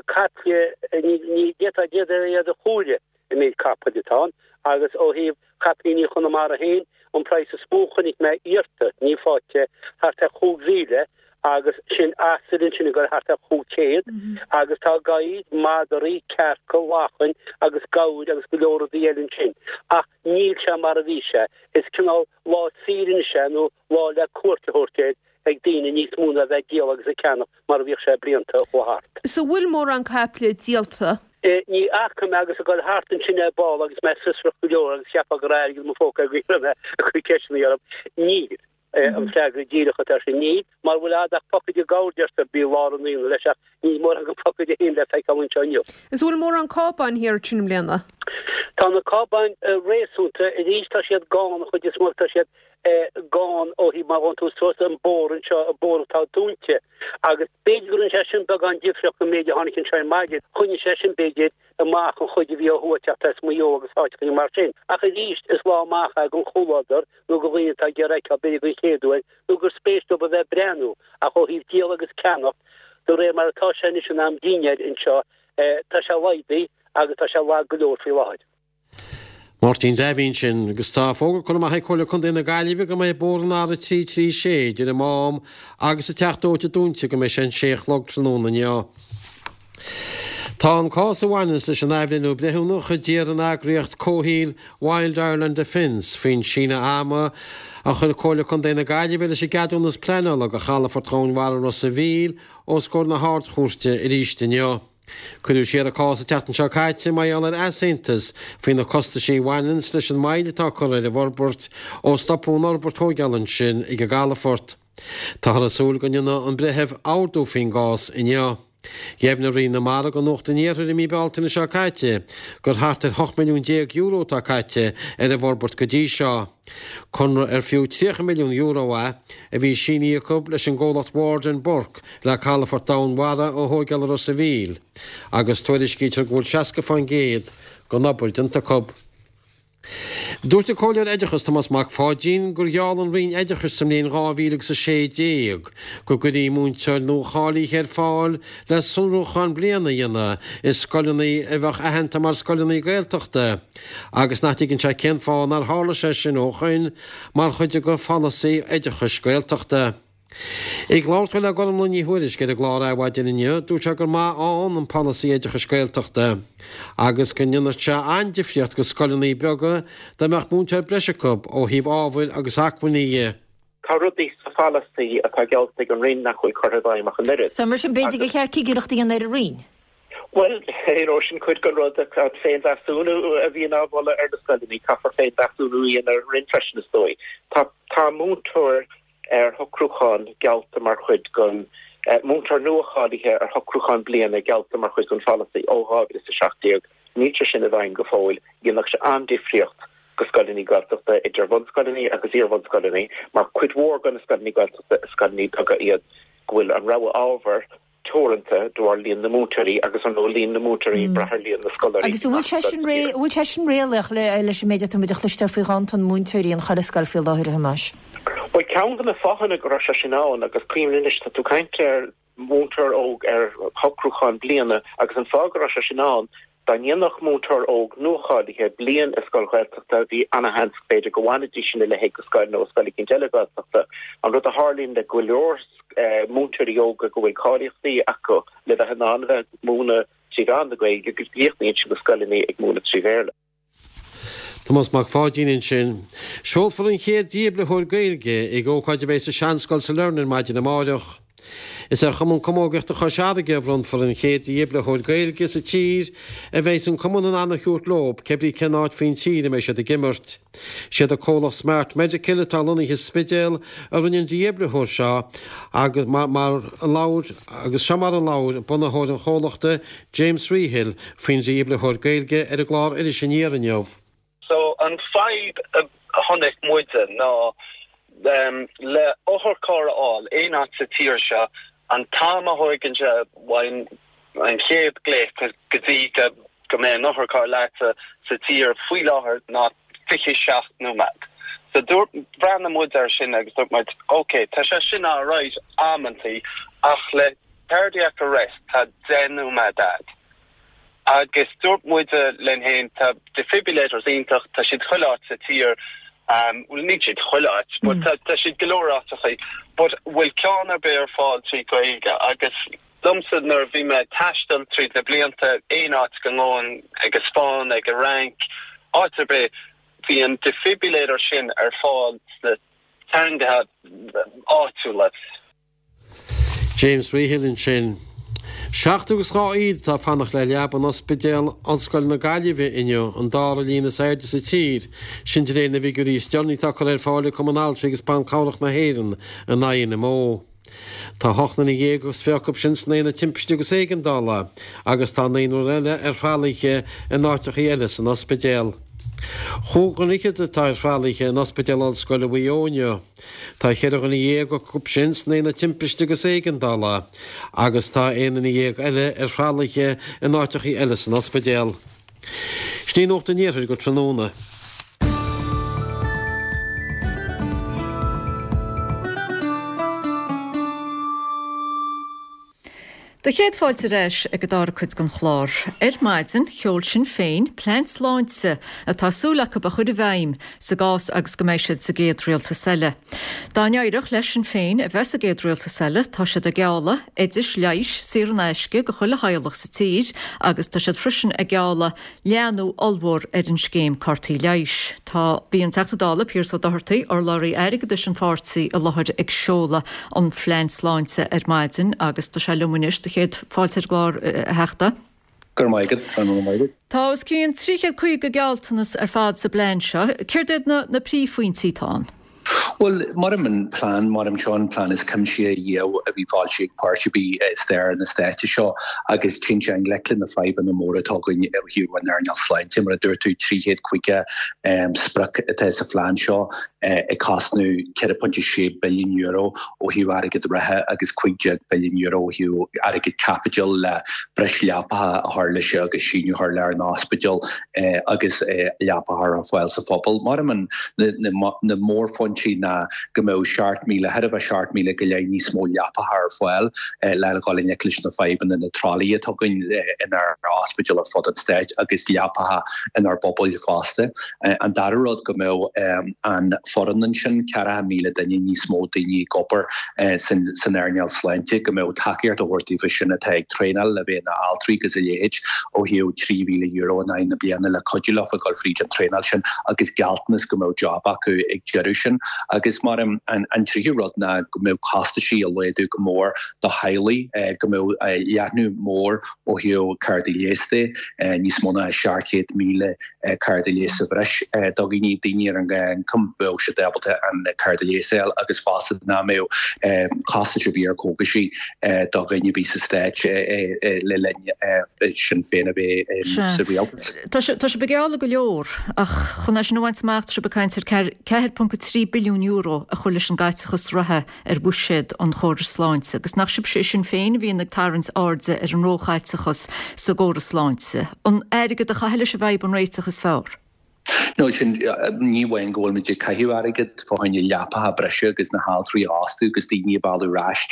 caiple, ní d'fhéadfá iad a chomhaireamh an méid capaill atá ann agus ó thaobh chapaillíní Chonamara féin, an praghas is mó a chonaic mé iarrta, ní faighte, thart ar 5,000 agus sin asail ansin ag dul thart ar 500 agus tá gadhair, madraí, cearca, lachain agus gabhair agus go leor rudaí eile ansin. Ach níl sé mar a bhí sé. Is cineál lá saoire anois é nó lá le cuairt a thabhairt air ag daoine níos mó ná a bheith ag díol agus ag ceannach mar a bhíodh sé blianta a chuaigh thart. So bhfuil mórán caiple díolta? Ní fhaca mé agus ag dul thart ansin ar ball agus mé fiosrach go leor agus cheapfá go raibh airgead i mo phóca go raibh mé ag cur ceisteanna orm. Níl. An freagra díreach atá air sin, níl. Mara bhfuil a'd ach pocaide gabhair deirtear, bí i lár an aonaigh leis ach níl mórán den phocaide féin le feiceáil anseo inniu. Is bhfuil mórán cábáin thiar ansin i mbliana? Tá na cábáin réasúnta, arís tá siad gann, an chuid is mó tá siad gann ó thaobh má ghabhann tú suas an bóthar anseo, an bóthar atá dúinte agus b'fhéidir go rinne sé sin beagán difríocht an méid a tháinig anseo ar maidin, choinnigh sé sin b'fhéidir amach an chuid a bhí ó thuaidh ag teacht as Maigh Eo agus áiteachaí mar sin. Ach arís is lá amach é don chomhluadar nó do dhaoine atá ag iarraidh a fheiceáil b'fhéidir den chéad uair, nó gur spéis dóibh a bheith ag breathnú, ach ó thaobh díol agus ceannacht. De réir mar atá sé anois in am dinnéir anseo, tá sé laghdaithe agus tá sé lag go leor faoi láthair. Máirtín Davy ansin, agus tá fógra curtha amach ag Comhairle Contae na Gaillimhe go mbeidh bóthar an R336 idir an Mám agus an Teach Dóite dúnta go mbeidh sé an 6 a chlog tráthnóna inniu. Tá an cás a bhaineanns leis an athbhreithniú breithiúnach a d'iarr an eagraíocht comhshaoil Wild Ireland Defence faoin síneadh ama a chuir Comhairle Contae na Gaillimhe leis an gceadúnas pleanála do chalafort Dhomhain Mhara Ros a' Mhíl os comhair na hArd-Chúirte arís inniu. Cuireadh siar an cás an tseachtain seo caite mar gheall ar easaontas faoi na costaisí a bhaineanns leis an moill atá curtha ar an bhforbairt ó stopadh an fhorbairt thóigeála ansin ag an gcalafort. Táthar ag súil go ndéanfaidh an breitheamh ordú faoin gcás inniu. Dheimhnigh Roinn na Mara do Nuacht an Iarthair i mí Bealtaine seo caite gur thart ar €18 milliún atá caite ar an bhforbairt go dtí seo. Conradh ar fiú €30 milliún é a bhí sínithe acu leis an gcomhlacht Ward and Burke le calafort domhainmhara a thóigeáil i Ros a' Mhíl agus tuairiscítear go bhfuil 60% den obair déanta acu. Dúirt an Comhairleoir Oideachais Tomás Mac Pháidín gur gheall an Roinn Oideachais sa mbliain 2016 go gcuirfí múinteoir nua-cháilithe ar fáil le sonrúchán bliana a dhéanamh i scoileanna a bheadh aitheanta mar scoileanna Gaeltachta agus nach dtuigeann sé cén fáth nár tharla sé sin ó shoin mar chuid de pholasaí oideachais Gaeltachta. Ag labhairt dó le Gormlaith Ní Thuairisg ar an gclár Adhmhaidin inniu, dúirt sé gur maith ann an polasaí oideachais Gaeltachta agus go ndéanfadh sé an-difríocht go scoileanna beaga dá mbeadh múinteoir breise acu ó thaobh ábhair agus acmhainní dhe. Tá rudaí sa pholasaí atá geallta ag an Roinn nach bhfuil curtha i bhfeidhm ach an oiread. So mar sin b'fhéidir gur cheart cigireacht a dhéanamh ar an Roinn? Bhuel, you know, sin cuid den rud, an féinmheasúnú a bhíonn á mholadh ar na scoileanna, caithfear féinmheasúnú a dhéanamh ar an Roinn freisin is dóigh. Tá tá múinteoir ar shocrúchán geallta mar chuid den, múinteoir nua-cháilithe ar shocrúchán bliana geallta mar chuid den pholasaí ó 2017. Níl sé sin i bhfeidhm go fóill. Dhéanfadh sé an-difríocht go scoileanna Gaeltachta, idir bhunscoileanna agus iarbhunscoileanna, mar cuid mhór de na scoileanna Gaeltachta is scoileanna beaga iad go bhfuil an rogha ábhar teoranta de bharr líon na múinteoirí agus ar ndóigh líon na múinteoirí ag brath ar líon na scoláirí. Agus an bhfuil sé sin an bhfuil sé sin réalaíoch leis an méid atá muid a chloisteáil faoi ghanntan múinteoirí in chuile scoil faoi láthair, a Thomáis? Bhuel, ceann de na fáthanna go raibh sé sin ann, agus cuimhnigh anois, tá tú ag caint ar mhúinteoir óg ar shocrúchán bliana agus an fáth go raibh sé sin ann, dá ndéanfadh múinteoir óg nuacháilithe bliain i scoil Ghaeltachta, bhí ana-sheans b'fhéidir go bhfanfaidís ina leithéid de scoil nó i scoil eicínt eile Gaeltachta. An rud a tharlaíonn le go leor múinteoirí óga go bhfuil cáilíochtaí acu le bheith in ann a bheith ag múineadh trí mheán na Gaeilge go gcríochnaíonn siad na scoileanna ag múineadh trí Bhéarla. Tomás Mac Pháidín ansin. Seolfar an chéad dífhibritheoir Gaeilge ag ócáid a bheidh sa Seanscoil sa Learn ar maidin amáireach. Is ar Chumann Camógaíochta Chois Fharraige a bhronnfar an chéad dífhibritheoir Gaeilge sa tír a bheidhs an cumann in ann a thabhairt leo cébrí cén áit faoin tír a mbeidh siad ag imirt. Siad an comhlacht Smart Medical atá lonnaithe sa Spidéal a rinne an dífhibritheoir seo agus mar a labhair agus seo mar a labhair bunaitheoir an chomhlachta James Rehill faoin dífhibritheoir Gaeilge ar an gclár Iris Aniar inniu. So an fadhb a chonaic muide ná le otharcharr a fháil aon áit sa tír seo, an t-am a thóigeann sé ón chéad glaoch go dtí go mbeidh an otharcharr leatsa sa tír faoi láthair ná 27 nóiméad. So dúirt, bhreathnaigh muid air sin agus dúirt muid, ok, tá sé sin alright amantaí ach le cardiac arrest tá 10 nóiméad a'd. Agus dúirt muide linn féin, tá defibrillators iontach, tá siad chuile áit sa tír, bhuel níl siad chuile áit, but tá tá siad go leor áiteachaí, but bhfuil ceann ar bith ar fáil trí Ghaeilge? Agus liomsa nuair a bhí mé ag taisteal tríd na blianta, aon áit go ngabhainn, ag an Spáinn, ag an Fhrainc, áit ar bith, bhí an defibrillator sin ar fáil sna teangacha áitiúla. James Rehill ansin. 72 atá ag fanacht le leaba in Ospidéal Ollscoile na Gaillimhe inniu, an dara líon is airde sa tír, sin de réir na bhfigiúirí is deireanaí atá curtha ar fáil ag Cumann Altraí agus Ban Cabhrach na hÉireann, an INMO. Tá 28 nduine acu sin san aonad timpiste agus éigeandála agus tá naonúr eile ar thralaithe in áiteachaí eile san ospidéal. Chúig dhuine fhichead atá ar thralaithe in Ospidéal Ollscoile Mhaigh Eo inniu. Tá cheithre dhuine dhéag acu sin san aonad timpiste agus éigeandála agus tá 11 duine eile ar thralaithe in áiteachaí eile san ospidéal. Sin í Nuacht an Iarthair go tráthnóna. Do chéad fáilte ar ais ag an dara cuid den chlár. Ar maidin, sheol Sinn Féin plean sláinte atá súil acu a chur i bhfeidhm sa gcás agus go mbeidh siad sa gcéad rialtas eile. Dá n-éireodh le Sinn Féin a bheith sa gcéad rialtas eile, tá siad ag gealladh oidis leighis saor in aisce go chuile theaghlach sa tír agus tá siad freisin ag gealladh leathnú ollmhór ar an scéim cártaí leighis. Tá, bhí an Teachta Dála Pearse Ó Dochartaigh, urlabhraí airgeadais an pháirtí i láthair ag seoladh an phlean sláinte ar maidin agus tá sé liom anois. Do chéad fáilte ar an gclár, a Theachta. Go raibh maith agat, go raibh maith agat. Tá os cionn 350 gealltanas ar fad sa bplean seo. Céard iad na príomhphointí atá ann? Bhuel, maram an plean, maram seo an plean is cuimsithí riamh a bhí foilsithe ag páirtí ar bith i stair na stáite seo agus téann sé i ngleic le na fadhbanna móra atá againn ó thaobh an earnáil sláinte. Mar a dúirt tú, 350 sprioc atá sa phlean seo ag cosnú €4.6 billiún ó thaobh airgead reatha agus €15 billiún ó thaobh airgead caipitil le breis leapacha a chur leis agus síneadh a chur lenár n-ospidéil. agus leapacha a chur ar fáil sa phobal. Maram an na mórphointí ná go mbeadh 7,000, chóir a bheith 7,000 go leith níos mó leapacha ar fáil le dhul i ngleic leis na fadhbanna na tralaí atá againn inár ospidéil ar fud an stáit agus leapacha inár bpobail fosta. An dara rud go mbeadh an foireann ansin, 40,000 duine níos mó daoine ag obair san earnáil sláinte, go mbeadh tacaíocht á thabhairt daofa sin atá ag traenáil le bheith ina altraí agus a leithéid ó thaobh €3,000 in aghaidh na bliana le cuidiú leofa dul fríd an traenáil sin agus gealltanas go mbeadh job acu ag deireadh sin. Agus mar an an tríú rud ná go mbeadh costaisí á laghdú go mór do theaghlaigh, go mbeadh leathnú mór ó thaobh cártaí leighis de, níos mó ná 700,000 cárta leighis sa bhreis do dhaoine, daoine ar an ghnáthioncam, bheadh siad ábalta an cárta leighis a fháil agus fosta nach mbeadh costais ar bith ar chógaisí do dhaoine a bhí sa Stát le linn Sinn Féin a bheith sa rialtas. Tá sibh ag gealladh go leor ach chun é sin a bhaint amach tá sibh ag caint ar €4.3 billiún a chur leis an gcaiteachas reatha ar bhuiséad an chórais sláinte agus nach sibhse i Sinn Féin a bhíonn ag tarraingt airde ar an róchaiteachas sa gcóras sláinte. An airgead a chaitheamh leis an bhfadhb an réiteach is fearr? No, sin, ní amháin go bhfuilimid ag caitheamh airgead fá choinne leapacha breise agus na haltraí a fhostú agus daoine a mhealladh ar ais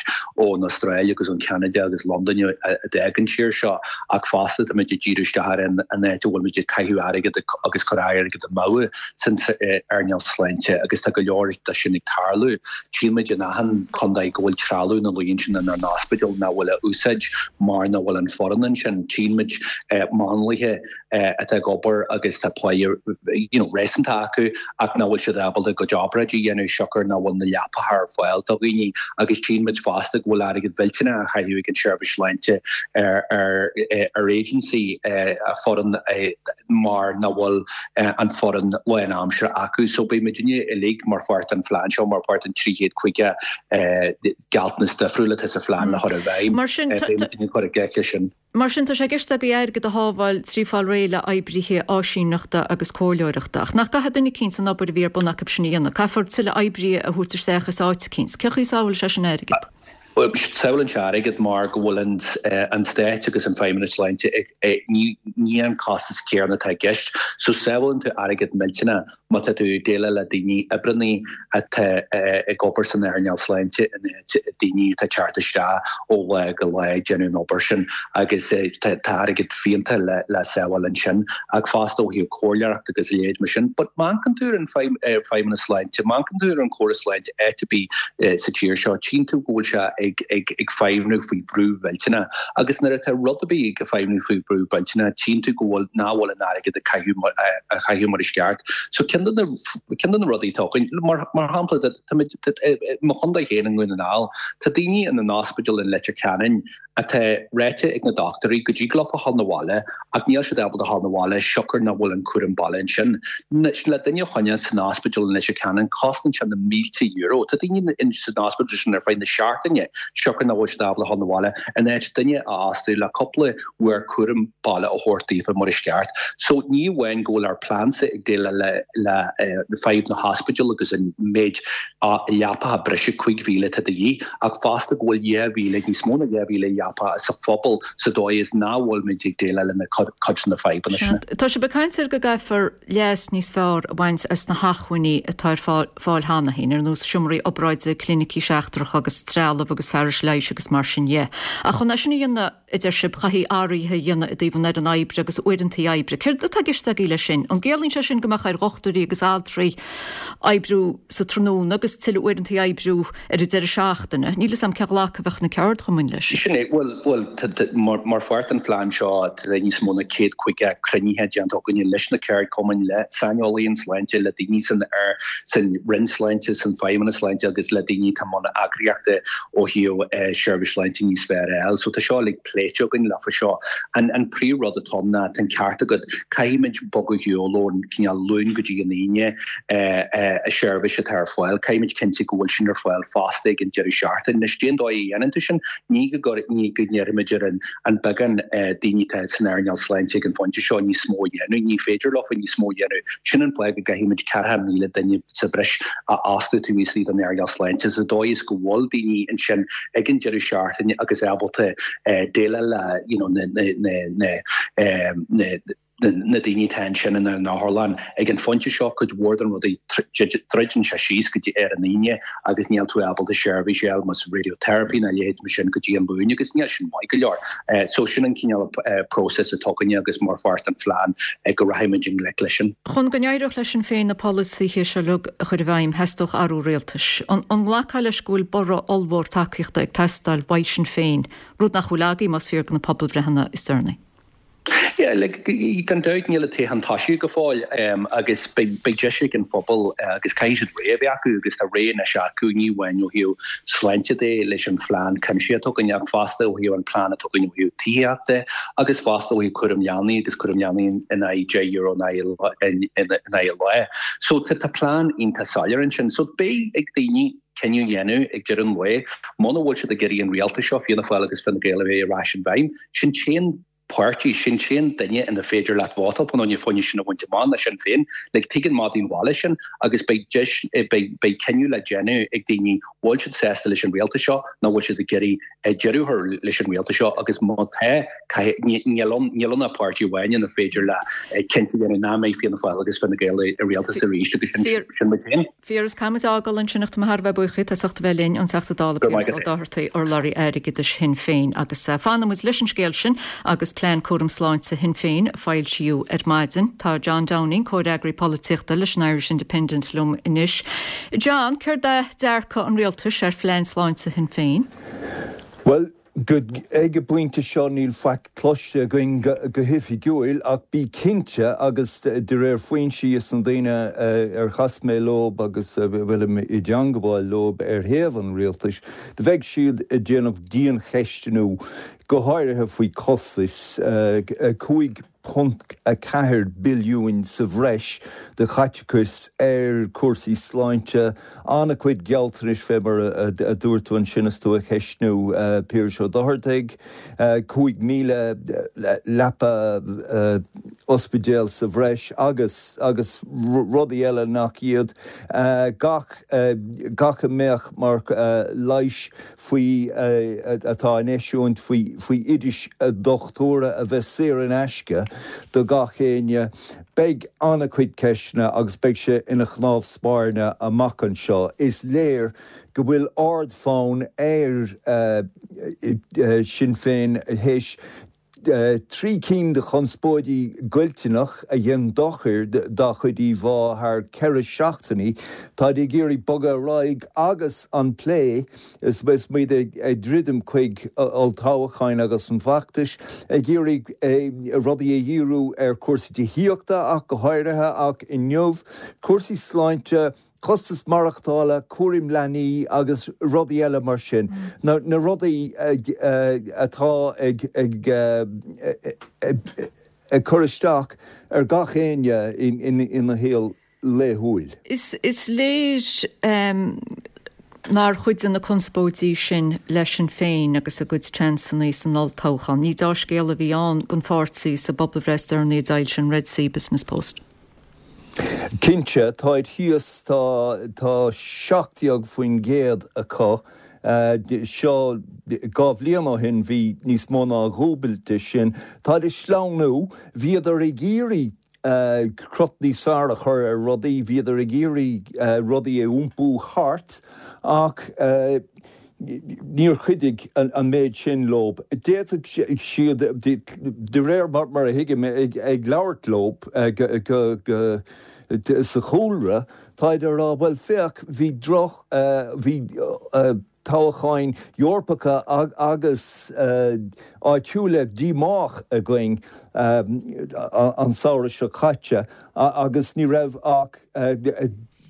ón Astráil agus ón Cheanada agus Londain a d'fhág an tír seo ach fosta táimid ag díriú isteach ar an áit a bhfuilimid ag caitheamh airgead agus cur airgead amú san earnáil sláinte agus tá go leor de sin ag tarlú. Tchímid in achan contae go bhfuil trealamh ina luí ansin inár n-ospidéil nach bhfuil á úsáid mar nach bhfuil an foireann ansin. Tchímid máinliacha atá ag obair agus tá pá you know réasúnta acu ach nach bhfuil siad ábalta a gcuid obráidí a dhéanamh siocair nach bhfuil na leapacha ar fáil do dhaoine agus tchímid fosta go bhfuil airgead mhillteanach á chaitheamh ag an tseirbhís sláinte ar ar ar agency foireann mar nach bhfuil an foireann lánaimseartha acu. So beidh muidinne uilig mar pháirt den phlean seo, mar pháirt den 350 gealltanas difriúil atá sa phlean le chur i bhfeidhm. Mar sin, Beidh muidinne ag cur i gcrích leis sin. Mar sin, tá sé i gceist agaibh airgead a shábháil trí fáil réidh le oibrithe áisíneachta agus comhairleoireachta. Ach nach gcaithfidh duine eicínt an obair a bhí ar bun acu sin a dhéanamh? Caithfear tuilleadh oibrithe a thabhairt isteach as áit eicínt. Cén chaoi a sábhálfaidh sé sin airgead? Sábhálann sé airgead mar go bhfuil an Stát agus an Feidhmeannas Sláinte ag, ní an costas céanna atá i gceist. So sábhálann tú airgead millteanach má tá tú ag déileáil le daoine oibreannaí atá ag obair san earnáil sláinte in áit daoine atá ag teacht isteach ó lá go lá ag déanamh an obair sin agus tá airgead fiúntach le sábháil ansin ach fosta ó thaobh comhairleoireacht agus a leithéid mar sin. But má amharcann tú ar an Feidhmeannas Sláinte, má amharcann tú ar an chóras sláinte áit ar bith, sa tír seo, tchíonn tú go bhfuil sé ag feidhmniú faoi bhrú mhillteanach. Agus nuair atá rud ar bith ag feidhmniú faoi bhrú mhillteanach, tchíonn tú go bhfuil, nach bhfuil an airgead ag caitheamh, á chaitheamh mar is ceart. So ceann de na, ceann de na rudaí atá againn, mar, mar shampla, tá muid, i mo chontae féin i nDún na nGall, tá daoine ina n-ospidéal in Leitir Ceanainn atá ráite ag na dochtúirí go dtig leofa dhul 'na bhaile ach níl siad ábalta dhul 'na bhaile siocair nach bhfuil an cúram baile ansin. Le duine a choinneáil san ospidéal in Leitir Ceanainn cosnaíonn sé na mílte euro. Tá daoine san ospidéal sin ar feadh na seachtaine siocair nach bhfuil siad ábalta dhul 'na bhaile in áit duine a fhostú le cúpla uair cúram baile a thabhairt daofa mar is ceart. So ní amháin go bhfuil ár pleansa ag déileáil le fadhb na hospidéal agus an méid leapacha breise 5,000 atá de dhíth, ach fosta go bhfuil 2,000, níos mó ná 2,000 leapa sa phobal sa dóigh is nach bhfuilimid ag déileáil lena cuid de na fadhbanna sin. Tá sibh ag caint ar go gcaithfear leas níos fearr a bhaint as na hacmhainní atá ar fáil cheana féin, ar nós seomraí obráide, clinicí seachtracha agus trealamh agus. agus fearais leighis agus mar sin dhe. Ach chun é sin a dhéanamh, a deir sibh, chaithfí athruithe a dhéanamh i dtaobh an fhoireann oibre agus uaireantaí oibre. Céard atá i gceist agaibh leis sin? An gciallaíonn sé sin go mbeadh ar dhochtúirí agus altraí oibriú sa tráthnóna agus tuilleadh uaireantaí oibriú ar an deireadh seachtaine? Níl 'fhios a'm cén ghlacadh a bheadh na ceardchumainn leis. Sin é. Bhuel, bhuel, mar pháirt den phlean seo, tá níos mó ná 150 cruinnithe déanta againne leis na ceardchumainn, le saineolaithe sláinte, le daoine san san Roinn Sláinte, san Feidhmeannas Sláinte agus le daoine atá i mbun eagraíochta ó thaobh seirbhís sláinte níos fearr a fháil. So tá seo uilig pléite againn leofa seo. An an príomh rud atá ann ná, tá an ceart agat, caithfimid bogadh ar shiúl ón cineál Luan go dtí an Aoine a seirbhís atá ar fáil. Caithfimid cinntiú go bhfuil sin ar fáil fosta ag an deireadh seachtaine. Anois, cén dóigh a dhéanann tú sin? Ní go ní go ndéarfaimid ar an an beagán daoine atá san earnáil sláinte ag an phointe seo níos mó a dhéanamh. Ní féidir leofa níos mó a dhéanamh. Sin an fáth go gcaithfimid 40,000 duine sa bhreis a fhostú taobh istigh den earnáil sláinte sa dóigh is go bhfuil daoine ansin ag an deireadh seachtaine agus ábalta déileáil le you know na na na na na daoine atá ansin ina n-otharlann. Ag an phointe seo, cuid mhór den rudaí, druideann sé síos go dtí ar an Aoine agus níl tú ábalta seirbhís a fháil más radiotherapy ná a leithéid mar sin go dtí an Luan agus níl sin maith go leor. So sin an cineál próiseas atá againne agus mar pháirt den phlean go rachaimid i ngleic leis sin. Chun go n-éireodh le Sinn Féin na polasaithe seo uilig a chur i bhfeidhm, theastódh athrú rialtais. An nglacfá leis go bhfuil borradh ollmhór tacaíochta ag teastáil uaidh Sinn Féin, rud nach bhfuil agaibh más fíor do na pobalbhreitheanna is deireanaí? Yeah, like, gan dabht níl an toghchán tosaithe go fóill agus beidh deis ag an phobal agus caithfidh siad rogha a bheith acu agus tá rogha anois acu, ní amháin ó thaobh sláinte de leis an phlean cuimsitheach atá againn ach fosta ó thaobh an plean atá againn ó thaobh tithíochta agus fosta ó thaobh cúram leanaí agus cúram leanaí in aghaidh €10 in aghaidh an lae. So tá plean iontach soiléir ansin. So beidh ag daoine cinneadh a dhéanamh ag deireadh an lae, muna bhfuil siad ag iarraidh an rialtas seo, Fianna Fáil agus Fine Gael a bheith ar ais in bhfeidhm, sin t-aon páirtí, sin t-aon duine ina féidir leat vótáil fá choinne sin a bhaint amach ná Sinn Féin. Like, tuigeann madaí an bhaile sin agus beidh deis, beidh, beidh cinneadh le déanamh ag daoine, bhfuil siad sásta leis an rialtas seo nó bhfuil siad ag iarraidh deireadh a chur leis an rialtas seo agus má tá, caithfidh, níl ann, níl ann ach páirtí amháin ina féidir le cinnte a dhéanamh nach mbeidh Fianna Fáil agus Fine Gael i rialtas arís agus sin, sin muid féin. Piaras, caithfidh muid a fhágáil ansin ach tá mé thar a bheith buíoch díot as ucht a bheith linn, an Teachta Dála Piaras Ó Dochartaigh, urlabhraí airgeadais Shinn Féin. Agus fanfaidh muid leis an scéal sin agus plean cúram sláinte Shinn Féin a foilsíodh ar maidin. Tá John Downing, comhfhreagraí polaitíochta leis an Irish Independent liom anois. John, céard é dearcadh an rialtais ar phlean sláinte Shinn Féin? Bhuel, Go ag an bpointe seo níl faic cloiste againn go hoifigiúil ach bí cinnte agus de réir foinsí is na daoine ar chas mé leob agus a bhfuilim i dteangabháil leob ar thaobh an rialtais, bheidh siad ag déanamh diancheistniú go háirithe faoi costais 5 .4 billiúin sa bhreis de chaiteachas ar chúrsaí sláinte, an-chuid gealltanais fé mar a dúirt tú ansin is tú ag ceistniú Piaras Ó Dochartaigh, 5,000 leapa ospidéal sa bhreis agus agus rudaí eile nach iad, gach gach a mbeadh mar leighis faoi atá á n-eisiúint faoi faoi oidis dochtúra a bheith saor in aisce do gach éinne. Beidh an-chuid ceisteanna agus beidh sé ina chnámh spairne amach anseo. Is léir go bhfuil ard-fhonn ar Sinn Féin théis 3 cinn de chonspóidí goilteanach a dhein dochar dá chuid íomhá thar 4 seachtainí. Táid ag iarraidh bogadh ar aghaidh agus an plé is muid ag druidim chuig olltoghcháin agus an feachtais, ag iarraidh rudaí a dhíriú ar chúrsaí tithíochta ach go háirithe ach inniu, cúrsaí sláinte, costas maireachtála, cúram leanaí agus rudaí eile mar sin. Na rudaí atá ag cur isteach ar gach éinne ina shaol laethúil. Is léir nár chuidigh na conspóidí sin le Sinn Féin agus a gcuid seansanna san olltoghchán. Ní deá-scéal a bhí ann don pháirtí sa bpobalbhreith is deireanaí a d'fhoilsigh an Red C Business Post. Cinnte, táid thíos, tá tá 17% acu. Seo 2 bhliain ó shin bhí níos mó ná a dhúbailt de sin. Táid ag sleamhnú. Bhíodar ag iarraidh crot níos fearr a chur ar rudaí, bhíodar ag iarraidh rudaí a iompú thart ach. Níor chuidigh an méid sin leo. D'fhéadfadh siad, de réir mar a thuigim, ag labhairt leo sa chúlra, táid ag rá, bhuel féach, bhí droch, bhí toghcháin Eorpacha agus áitiúla díomách againn an samhradh seo caite agus ní raibh ach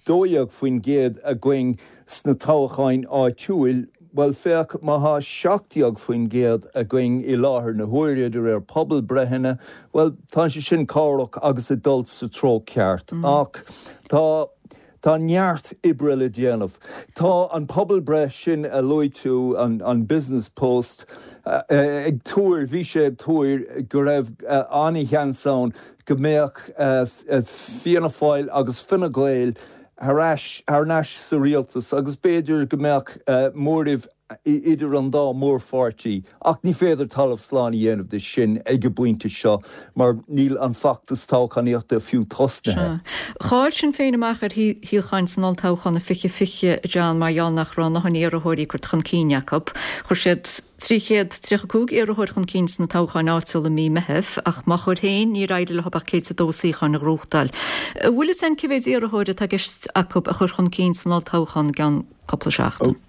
12% againn sna toghcháin áitiúil, bhuel féach, má thá 17% againn i láthair na huaire de réir pobalbreitheanna, bhuel tá sé sin cabhrach agus ag dul sa treo ceart. Ach tá, tá neart oibre le déanamh. Tá an pobalbreith sin a luaigh tú, an Business Post, ag tuar, bhí sé ag tuar go raibh an-sheans ann go mbeadh Fianna Fáil agus Fine Gael thar ais, thar n-ais sa rialtas agus b'fhéidir go mbeadh móramh idir an dá mhórpháirtí ach ní féidir talamh slán a dhéanamh de sin ag an bpointe seo mar níl an feachtas toghchánaíochta fiú tosnaithe. Sea. Chaill Sinn Féin amach ar shuíocháin san olltoghchán i 2020, a John, mar gheall nach raibh a ndóthain iarrthóirí curtha chun cinn acu. Chuir siad 335 iarrthóir chun cinn sna toghcháin áitiúla i mí Meithimh, ach má chuir féin, níor éirigh leo ach 102 suíochán a ghnóthachtáil. An bhfuil fhios a'inn cé mhéid iarrthóir atá i gceist acu a chur chun cinn san olltoghchán i gceann cúpla seachtain?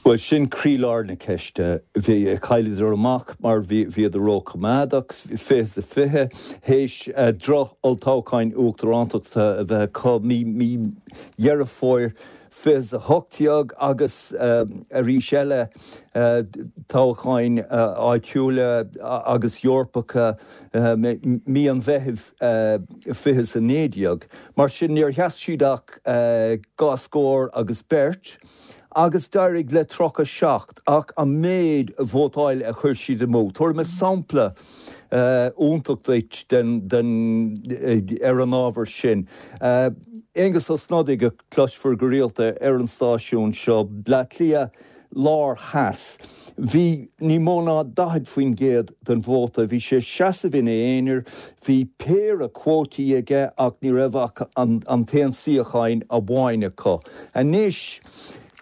Bhuel, sin croílár na ceiste. Bhí, chailleadar amach mar bhí, bhíodar róchoimeádach, 20 is 20, théis droch-olltoghcháin uachtarántachta a bheith acu mí, mí Dheireadh Fómhair 20 is 18 agus arís eile toghcháin áitiúla agus Eorpacha mí an Mheithimh 20 is 19. Mar sin níor sheas siad ach dhá scór agus beirt agus d'éirigh le 37 ach an méid vótáil a chuir siad amú. Tabharfaidh mé sampla iontach duit den ar an ábhar sin. Aengus Ó Snodaigh a chloisfear go rialta ar an stáisiún seo, Bleá Cliath Lár Theas. Bhí ní mó ná 40% den vóta, bhí sé ag seasamh ina aonar, bhí péire cuótaí aige ach ní raibh ach an t-aon suíocháin amháin acu. Anois,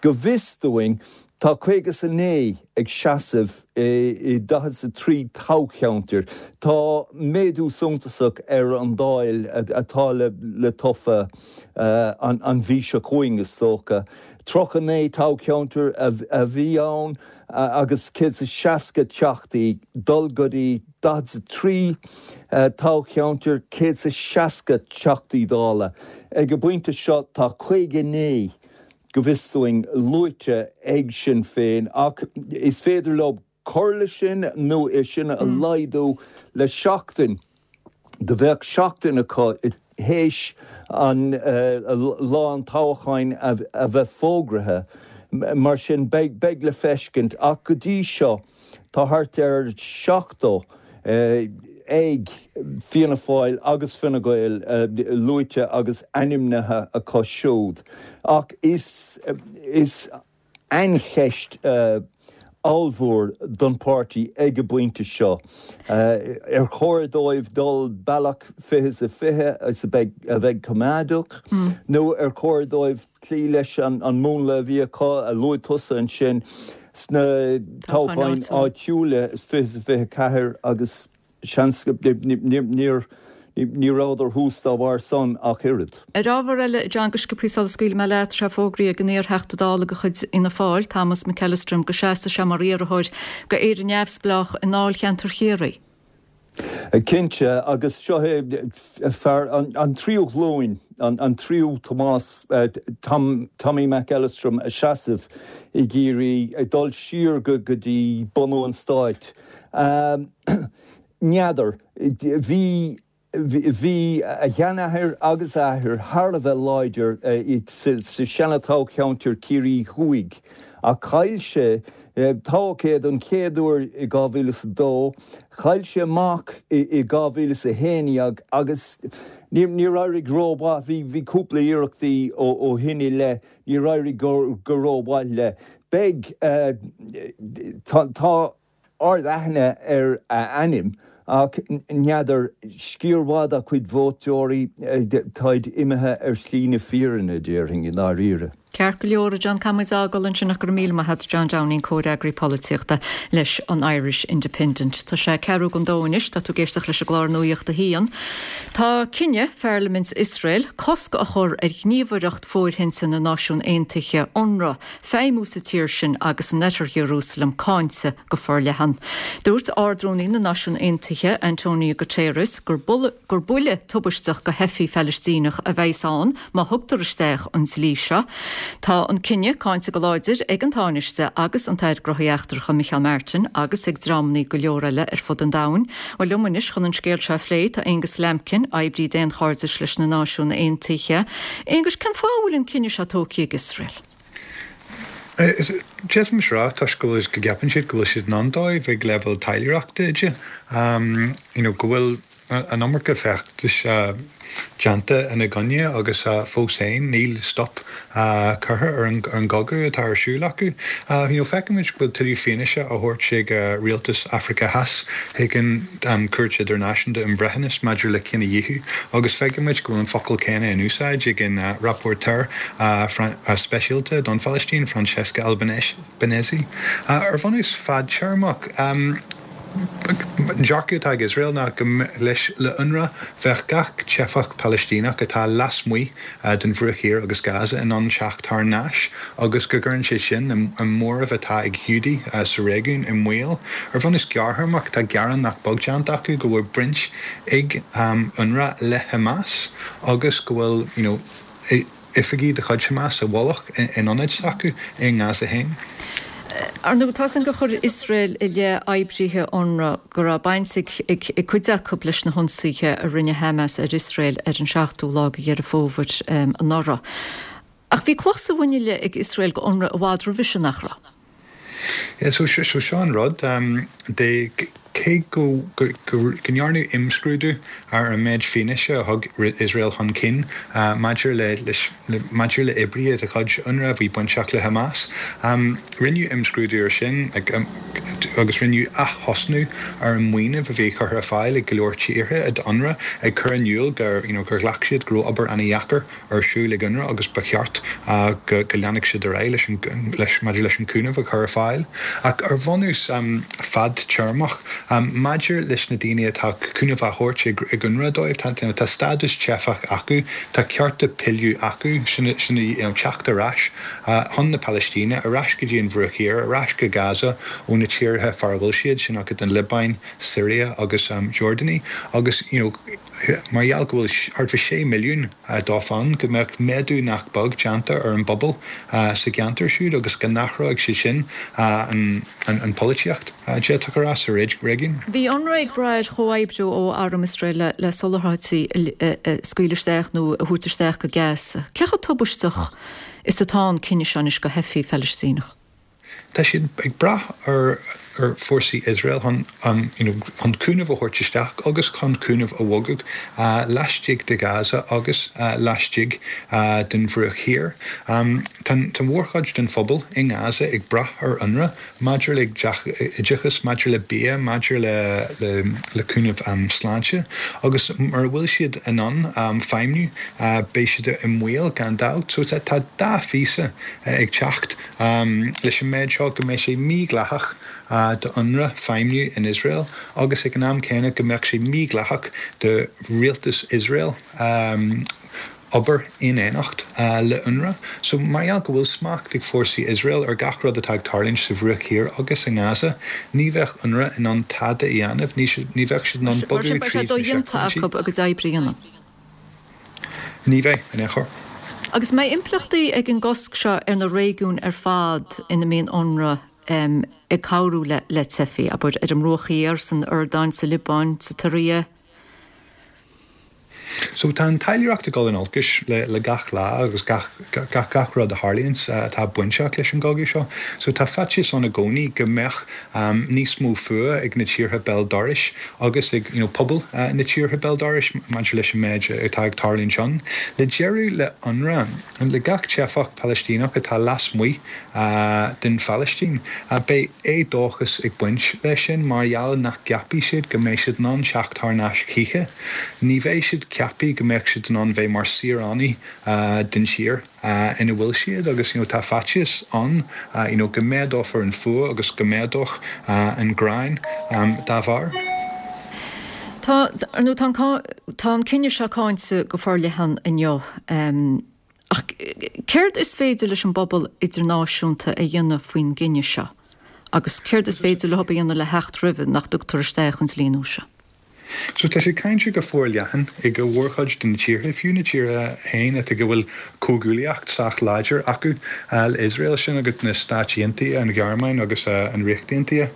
go bhfios dúinn, Tá 59 ag seasamh i 43 toghcheantar. Tá méadú suntasach ar an Dáil atá le tofa an mhí seo chugainn, is dócha. 39 toghcheantar a bhí ann agus 160 teachtaí, dul go dtí 43 toghcheantar, 160 teachtaí Dála. Ag an bpointe seo tá 59 go bhfios dúinn, luaite ag Sinn Féin ach is féidir leo cur leis sin nó é sin a laghdú le seachtain. Do bheadh seachtain acu théis an lá an toghcháin a bheith fógraithe. Mar sin beidh le feiscint ach go dtí seo, Tá thart ar 70 ag Fianna Fáil agus Fine Gael luaite agus ainmnithe acu siúd ach is is aincheist ollmhór don pháirtí ag an bpointe seo. Ar chóir dóibh dul bealach 20 is 20 is a bheidh coimeádach nó ar chóir dóibh cloí leis an múnla a bhí acu, a luaigh tusa ansin, sna toghcháin áitiúla is 20 is 24 agus seans go níor ní rabhadar thuas dá bharr san ach oiread. Ar ábhar eile, John, go sciobthaí sula scaoilfidh mé leat, tá sé fógraithe ag an iar-Theachta Dála de chuid Fhianna Fáil, Thomas McEllistrim, go seasfaidh sé mar iarrthóir do Éire Neamhspleách i ndáilcheantar Chiarraí. Cinnte, agus seo é fear an tríú ghlúin, an tríú Tomás, Tom, Tommy McEllistrim a seasamh i gCiarraí, ag dul siar go dtí bunú an stáit. N'fheadar. Bhí. Bhí a sheanathair agus a athair thar a bheith láidir sa seana-toghcheantar Ciarraí Thuaidh ach chaill sé, toghadh é don chéad uair i 2002, chaill sé amach i 2011 agus níor éirigh rómhaith, bhí cúpla iarrachtaí ó shin i leith, níor éirigh go rómhaith leis. Beidh, tá. ard-aithne ar a ainm, ach n'fheadar, sciar mhaith dá chuid vótóirí, táid imithe ar shlí na fírinne, déarfainn, i ndáiríre. Ceart go leor, a John, caithfidh muid a fhágáil ansin ach go raibh míle maith agat, John Downing, Comhfhreagraí Polaitíochta leis an Irish Independent. Tá sé ceathrú don dó anois, tá tú ag éisteacht leis an gclár Nuacht a hAon. Tá cinneadh Pharlaimint Iosrael cosc a chur ar Ghníomhaireacht Fóirithinte na Náisiún Aontaithe, Unrwa, feidhmiú sa tír sin agus in oirthear Iarúsailéim cáinte go forleathan. Dúirt Ard-Rúnaí na Náisiún Aontaithe, Antonio Guterres, gur gur buille tubaisteach do theifigh Phalaistíneach a bheas ann má thugtar isteach an dlí seo. Tá an cinneadh cáinte go láidir ag an Tánaiste agus an tAire Gnóthaí Eachtracha Micheál Martin agus ag dreamanna go leor eile ar fud an domhain. Bhuel, liom anois chun an scéal seo a phlé tá Aonghus Lambkin, oibrí daonchairdis leis na Náisiúin Aontaithe. Aonghus, cén fáth a bhfuil an cinneadh seo tógtha ag Iosrael? D'fhéadfaimis rá toisc go bhfuil, go gceapann siad go bhfuil siad in ann dóibh ag leibhéal taidhleoireachta de, you know, go bhfuil an iomarca feachtais déanta ina gcoinne agus fós féin níl stop curtha ar an gcogadh atá ar siúl acu. You know, feicimid go bhfuil tuilleadh fianaise á thabhairt ag rialtas Afraice Theas chuig an Chúirt Idirnáisiúnta um Bhreithiúnas maidir le Cinedhíothú agus feicimid go bhfuil an focal céanna in úsáid ag an rapporteur speisialta don Phalaistín, Francesca Albanese. Ar bhunús fadtéarmach, an dearcadh atá ag Iosrael ná go leis le UNRWA bheadh gach teifeach Palaistíneach atá lasmuigh den Bhruach Thiar agus Gaza in ann teacht thar n-ais agus go gcuireann sé sin an móramh atá ag Giúdaigh sa réigiún i mbaol. Ar bhunús gearrthéarmach, tá gearán nach beag déanta acu go bhfuil baint ag UNRWA le Hamas agus go bhfuil you know oifigí de chuid Hamas i bhfolach in ionaid s'acu i nGaza féin. Ar ndóigh, tá a fhios againn gur chuir Iosrael i leith oibrithe Unrwa go raibh baint ag cuid acu leis na hionsaithe a rinne Hamas ar Iosrael ar an seachtú lá de Dheireadh Fómhair anuraidh. Ach bhí cloch sa mhuineál ag Iosrael go Unrwa i bhfad roimhe sin, nach raibh? Yeah, so seo an rud, de cé go ndearnadh imscrúdú ar an méid fianaise a thug Iosrael chun cinn maidir le maidir le oibrithe de chuid UNRWA a bhí bainteach le Hamas, rinneadh imscrúdú ar sin agus rinneadh ath-thosnú ar an maoiniú a bhí curtha ar fáil ag go leor tíortha d'UNRWA ag cur in iúl gur you know gur ghlac siad go raibh obair an-dheacair ar siúl ag UNRWA agus ba cheart go leanfadh siad ar aghaidh leis an leis maidir leis an cúnamh a chur ar fáil. Ach ar bhunús fadtéarmach, maidir leis na daoine atá cúnamh á thabhairt ag ag UNRWA dóibh, tá tá stádas teifeach acu, tá cearta pilleadh acu, sin sin you know teacht ar ais chun na Palaistíne, ar ais go dtí an Bhruach Thiar, ar ais go Gaza ó na tíortha fara bhfuil siad, sin acu an Liobáin, Siria agus Jordáin agus you know Mar gheall go bhfuil thart fá 6 milliún dóibh ann, go mbeadh méadú nach beag déanta ar an bpobal sa gceantar siúd agus go n-athródh sé sin an pholaitíocht, d'fhéadfadh a rá, sa réigiún. Bhí UNRWA ag brath ar chomhoibriú ó arm Iosrael le soláthairtí a scaoileadh isteach nó a thabhairt isteach go Gaza. Cé chomh tubaisteach is atá an cinneadh seo anois do theifigh Phalaistíneach? Tá siad ag brath ar fhórsaí Iosrael chun you know chun cúnamh a thabhairt isteach agus chun cúnamh a bhogadh laistigh de Gaza agus laistigh den Bhruach Thiar. Tá an mhórchuid den phobal i nGaza ag brath ar UNRWA maidir le oideachas, maidir le bia, maidir le cúnamh sláinte agus mura bhfuil siad in ann feidhmiú beidh siad i mbaol gan dabht. So tá dá phíosa ag teacht leis an méid seo, go mbeidh sé mídhleathach do UNRWA feidhmiú in Iosrael agus ag an am céanna go mbeadh sé mídhleathach do rialtas Iosrael obair in éineacht le UNRWA. So mar gheall go bhfuil smacht ag fórsaí Iosrael ar gach rud atá ag tarlúint sa Bhruach Thiar agus i nGaza, ní bheadh UNRWA in ann tada a dhéanamh, ní bheadh siad in ann bogadh tríd na seicphointí. Mar sin beidh sé dodhéanta acu a gcuid oibre a dhéanamh. Ní bheidh, in aon chor. Agus an mbeidh impleachtaí ag an gcosc seo ar na réigiúin ar fad ina mbíonn Unrwa ag cabhrú le teifigh, abair, ar an mBruach Thiar, san Iordáin, sa Liobáin, sa tSiria? So tá an taidhleoireacht ag dul in olcais le gach lá agus gach gach gach rud a tharlaíonns atá bainteach leis an gcogadh seo. So tá faitíos ann i gcónaí go mbeadh níos mó fuath ag na tíortha béal dorais agus ag you know pobal na tíortha béal dorais maidir leis an méid atá ag tarlúint ann. Le deireadh le UNRWA, le gach teifeach Palaistíneach atá lasmuigh den Phalaistín, beidh éadóchas ag baint leis sin mar gheall nach gceapfaidh siad go mbeidh siad in ann teacht thar n-ais choíche. Ní bheidh siad. ceaptha go mbeadh siad in ann bheith mar saoránaigh den tír ina bhfuil siad agus you know tá faitíos ann you know go méadófar an fuath agus go méadódh an ghráin dá bharr. Tá, ar ndóigh, tá an, tá an cinneadh seo cáinte go forleathan inniu. Ach céard is féidir leis an bpobal idirnáisiúnta a dhéanamh faoin gcinneadh seo? Agus céard is féidir leo a dhéanamh le theacht roimhe nach dtugtar isteach an dlí nua seo? So tá sé cáinte go forleathan ag an mhórchuid de na tíortha, fiú na tíortha féin atá go bhfuil comhghuaillíocht sách láidir acu le Iosrael, sin agat na Stáit Aontaithe, an Ghearmáin agus an Ríocht Aontaithe.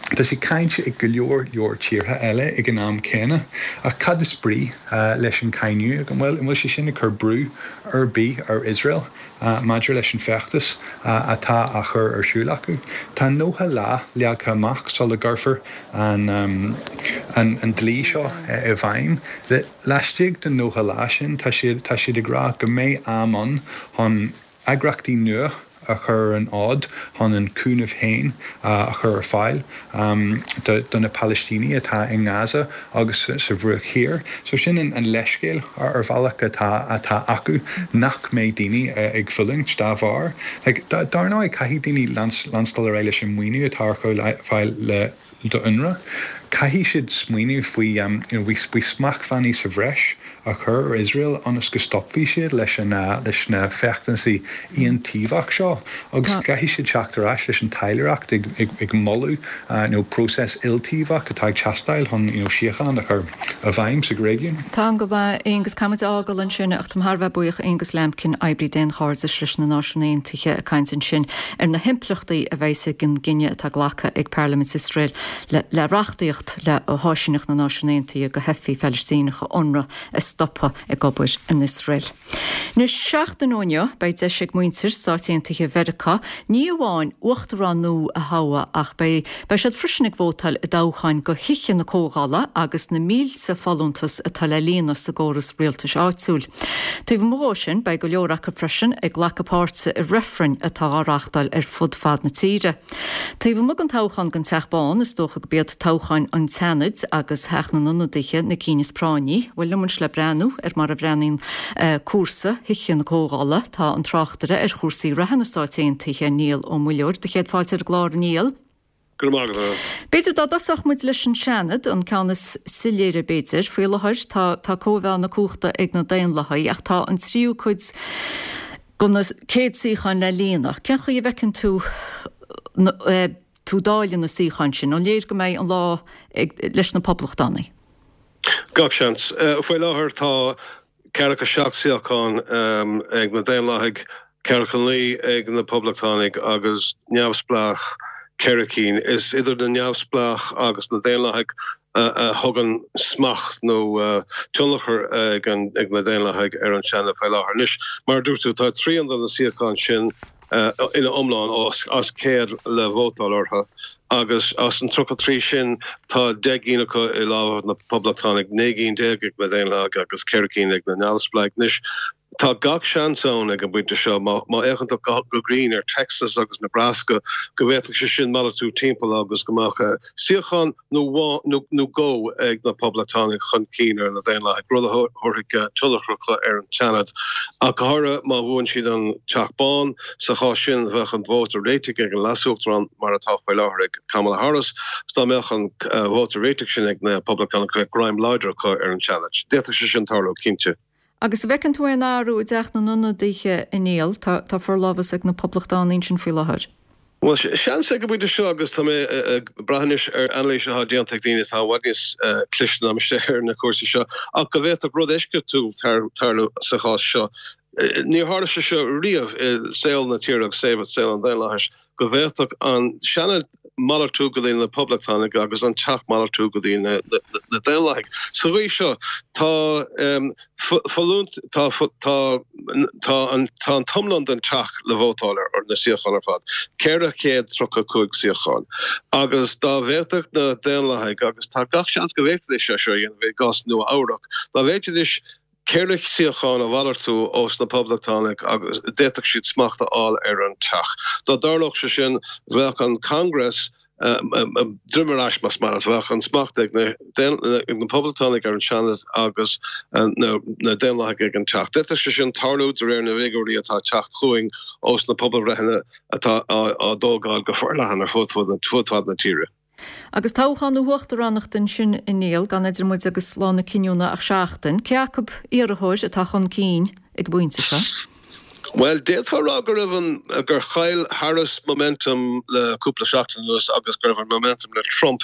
Tá sé cáinte ag go leor leor tíortha eile ag an am céanna. Ach cad is brí leis an cáineadh? An bhfuil an bhfuil sé sin ag cur brú ar bith ar Iosrael maidir leis an feachtas atá á chur ar siúl acu? Tá 90 lá leagtha amach sula gcuirfear an an dlí seo i bhfeidhm. Laistigh den 90 lá sin tá siad tá siad ag rá go mbeidh am ann chun eagraíochtaí nua a chur ar an fhód chun an cúnamh féin a chur ar fáil do na Palaistínigh atá i nGaza agus sa Bhruach Thiar. So sin an leithscéal ar bhealach atá atá acu nach mbeidh daoine ag fulaingt dá bharr. Like, dar ndóigh caithfidh daoine leanstáil ar aghaidh leis an maoiniú atá ar fáil le do UNRWA. Caithfidh siad smaoineamh faoi you know faoi smachtbhannaí sa bhreis a chur ar Iosrael ionas go stopfaidh siad leis an leis na feachtasaí aontaobhach seo agus caithfidh siad teacht ar ais leis an taidhleoireacht ag ag ag moladh you know próiseas iltaobhach atá ag teastáil chun you know síocháin a chur i bhfeidhm sa réigiún. Tá go maith, Aonghus, caithfidh muid a fhágáil ansin ach táim thar a bheith buíoch Aonghus Lambkin, oibrí daonchairdis leis na Náisiúin Aontaithe ag caint ansin ar na himpleachtaí a bheas ag an gcinneadh atá glactha ag Parlaimint Iosrael le reachtaíocht le háisíneacht na Náisiún Aontaithe do theifigh Phalaistíneacha Unrwa a stopadh ag obair in Iosrael. Anois, seachtain ó inniu, beidh deis ag muintir Stáit Aontaithe Mheiriceá ní amháin uachtarán nua a thoghadh ach beidh beidh siad freisin ag vótáil i dtoghcháin do Thithe na Comhdhála agus na mílte folúntas atá le líonadh sa gcóras rialtais áitiúil. Taobh amuigh dhó sin, beidh go leor acu freisin ag glacadh páirte i reifrinn atá á reáchtáil ar fud fad na tíre. Taobh amuigh den toghchán don Teach Bán, is dócha gurb iad toghcháin an tSeanaid agus Theach na nIonadaithe na cinn is práinní. Bhuel, liom anois le breathnú ar mar a bhreathnaíonn cúrsa Thithe na Comhdhála, tá an tráchtaire ar chúrsaí reatha na Stáit Aontaithe, Niall Ó Muilleoir. Do chéad fáilte ar an gclár, a Niall. Go raibh maith agat, a. B'fhéidir dá dtosódh muid leis an Seanad, an ceann is soiléire b'fhéidir. Faoi láthair tá tá cóimheá na cumhachta ag na Daonlathaigh ach tá an tríú cuid de na 100 suíochán le líonadh. Cén chaoi a bhfeiceann tú tú dáileadh na suíochán sin? An léir go mbeidh an lá ag leis na Poblachtánaigh? Gach seans. Faoi láthair tá 47 suíochán ag na Daonlathaigh, 49 ag na Poblachtánaigh agus neamhspleách ceithre cinn. Is idir na neamhspleách agus na Daonlathaigh a thugann smacht nó tionchar ag na Daonlathaigh ar an Seanad faoi láthair. Anois, mar a dúirt tú, tá trian de na suíocháin sin ina iomlán as 100 le vótáil orthu agus as an 33 sin tá 10 gcinn acu i lámha na Poblachtánaigh, 19 gcinn ag na Daonlathaigh agus 4 cinn ag na Neamhspleáigh. Anois, tá gach seans ann ag an bpointe seo, má fhéachann tú go grinn ar Texas agus Nebraska, go bhféadfadh sé sin malartú timpeall agus go mbeadh suíochán nó nó dhó ag na Poblachtánaigh chun cinn ar na Daonlathaigh, rud a thabharfaidh tionchar ar an Seanad, ach go háirithe má bhuann siad an Teach Bán. Sa chás sin, bheadh an vóta réitigh ag an Leas-Uachtarán, mar atá faoi láthair ag Kamala Harris. Dá mbeadh an vóta réitigh sin ag na Poblachtánaigh, bheadh greim láidir acu ar an Seanad. D'fhéadfadh sé sin tarlú, cinnte. Agus an bhfeiceann tú aon athrú i dTeach na nIonadaithe, a Niall? Tá tá forlámhas ag na Poblachtánaigh ansin faoi láthair. Bhuel, seans ag an bpointe seo, agus tá mé ag brath anois ar anailís atá déanta ag daoine atá i bhfad níos cliste ná mise ar na cúrsaí seo, ach go bhféadfadh rud eisceachtúil tarlú sa chás seo. Níor tharla sé seo riamh i saol na tíre agus saol an daonlathais, go bhféadfadh an Seanad malartú go dtí na Poblachtánaigh agus an Teach malartú go dtí na Daonlathaigh. Sa gcaoi seo, tá folúnt, tá, tá, tá an, tá an t-iomlán den Teach le vótáil ar, na suíocháin ar fad, 435 suíochán. Agus dá bhféadfadh na Daonlathaigh, agus tá gach seans go bhféadfaidís é seo a dhéanamh i gcás Nua Eabhrac, dá bhféadfaidís 4 suíochán a mhalartú ós na Poblachtánaigh agus d'fhéadfadh siad smacht a fháil ar an Teach. Dá dtarlódh sé sin, bheadh an Congress. Droim ar ais, más maith leat, bheadh an smacht ag na Poblachtánaigh ar an Seanad agus na Daonlathaigh ag an Teach. D'fhéadfadh sé sin tarlú de réir na bhfigiúirí atá ag teacht chugainn ós na pobalbhreitheanna atá á dtógáil go forleathan ar fud fad na tíre. Agus toghchán na huachtaránachta ansin a Niall, gan idir muid agus lá na cinniúna ach seachtain, cé acu iarrthóir atá chun cinn ag an bpointe seo? Bhuel, d'fhéadfá a rá go raibh an, gur chaill Harris momentum le cúpla seachtain anuas agus go raibh an momentum le Trump.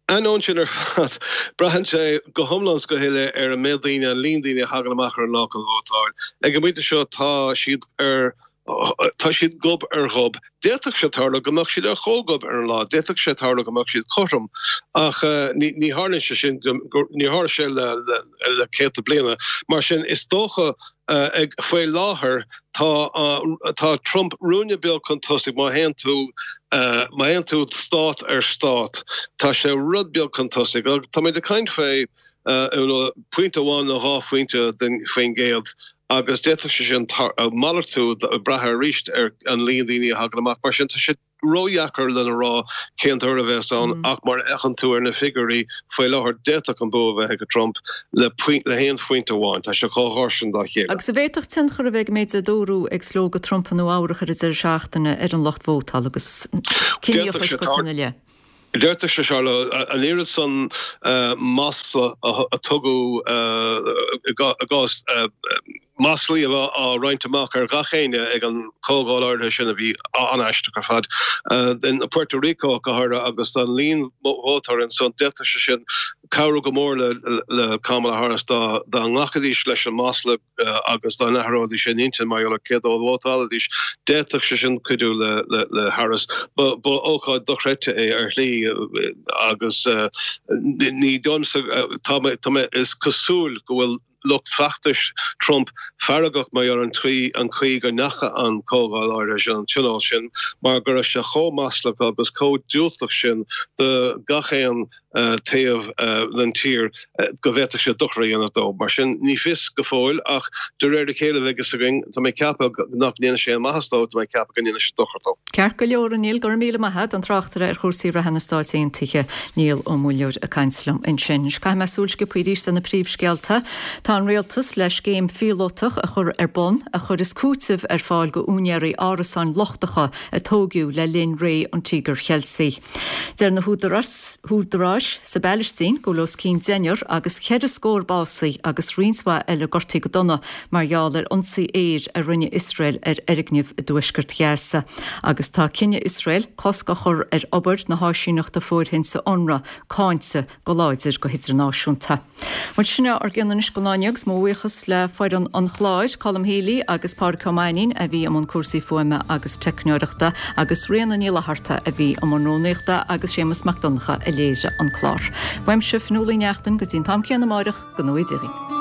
Ainneoin sin ar fad, braitheann sé go hiomlán is go huile ar an méid daoine, an líon daoine a thagann amach ar an lá chun vótáil. Ag an bpointe seo tá siad ar, tá siad gob ar ghob. D'fhéadfadh sé tarlú go mbeadh siad ar chomhghob ar an lá, d'fhéadfadh sé tarlú go mbeadh siad cothrom, ach ní tharlaíonn sé sin, níor tharla sé le céadta bliana. Mar sin, is dócha ag faoi láthair tá tá Trump ruainne beag chun tosaigh má théann tú má théann tú stát ar stát, tá sé rud beag chun tosaigh. Táimid ag caint faoi pointe amháin nó 2 phointe den faoin gcéad agus d'fhéadfadh sé sin malartú ag brath arís ar an líon daoine a thagann amach. Mar sin tá sé ródheacair lena rá cén toradh a bheas ann ach mar a fheiceann tú ar na figiúirí faoi láthair d'fhéadfadh an bua a bheith ag Trump le le haon phointe amháin. Tá sé chomh gar sin dá chéile. Agus an bhféadfadh tionchar a bheith ag an méid a dúradh ag slógadh Trump i Nua Eabhrach ar an deireadh seachtaine ar an lucht vótála agus D'fhéadfadh sé ina leith? D'fhéadfadh sé tarlú, an oiread san masla a tugadh i gcás maslaí a bheith á roinnt amach ar gach éinne ag an chomhdháil áirithe sin a bhí an-aisteach ar fad, in Puerto Rico go háirithe agus an líon vótóirí ansan, d'fhéadfadh sé sin cabhrú go mór le Kamala Harris dá nglacfaidís leis an masla. agus dá n-athróidís a n-intinn mar gheall ar cé dó a vótálfaidís, d'fhéadfadh sé sin cuidiú le Harris. Ba ócáid dochreidte é ar shlí agus ní domsa, tá mé, is cosúil go bhfuil lucht feachtais Trump feargach mar gheall ar an an chaoi go ndeacha an chomhdháil áirithe sin, an tionól sin, mar go raibh sé chomh maslach agus chomh diúltach sin do gach aon taobh den tír go bhféadfadh sé dochar a dhéanamh dó. Mar sin, ní fios go fóill, ach de réir a chéile beidh a fhios againn. Tá mé ag ceapadh nach ndéanfaidh sé aon maitheas dó, tá mé ag ceapadh go ndéanfaidh sé dochar dó. Ceart go leor, a Niall, go raibh míle maith agat, an tráchtaire ar chúrsaí reatha na Stáit Aontaithe, Niall Ó Muilleoir ag caint liom ansin. Anois caithfidh mé súil sciobtha arís ar na príomhscéalta. Tá an rialtas le scéim phíolótach a chur ar bun a chuirfeas cúiteamh ar fáil go úinéirí árasáin lochtacha a tóigeadh le linn ré an Tíogair Cheiltigh. Deir na húdaráis sa bPailistín go bhfuil os cionn deichniúr agus cheithre scór básaithe agus roinnt mhaith eile gortaithe go dona mar gheall ar ionsaí aeir a rinne Iosrael ar fhoirgnimh i dtuaisceart Ghaza. Agus tá cinneadh Iosrael cosc a chur ar obair na háisíneachta fóirithinte Unrwa cáinte go láidir go hidirnáisiúnta. Bhuel, sin é ár gcion anois don lá inniu agus mo bhuíochas le foireann an chláir, Colm Healy agus Pádraic Ó Mainnín a bhí i mbun cúrsaí fuaime agus teicneoireachta agus Ríona Ní Fhlatharta a bhí i mbun rúnaíochta agus Séamus Mac Donncha a léirigh an clár. Uaimse, Fionnuala Uí Neachtain, go dtí an t-am céanna amáireach, go ngnóthaí Dia dhaoibh.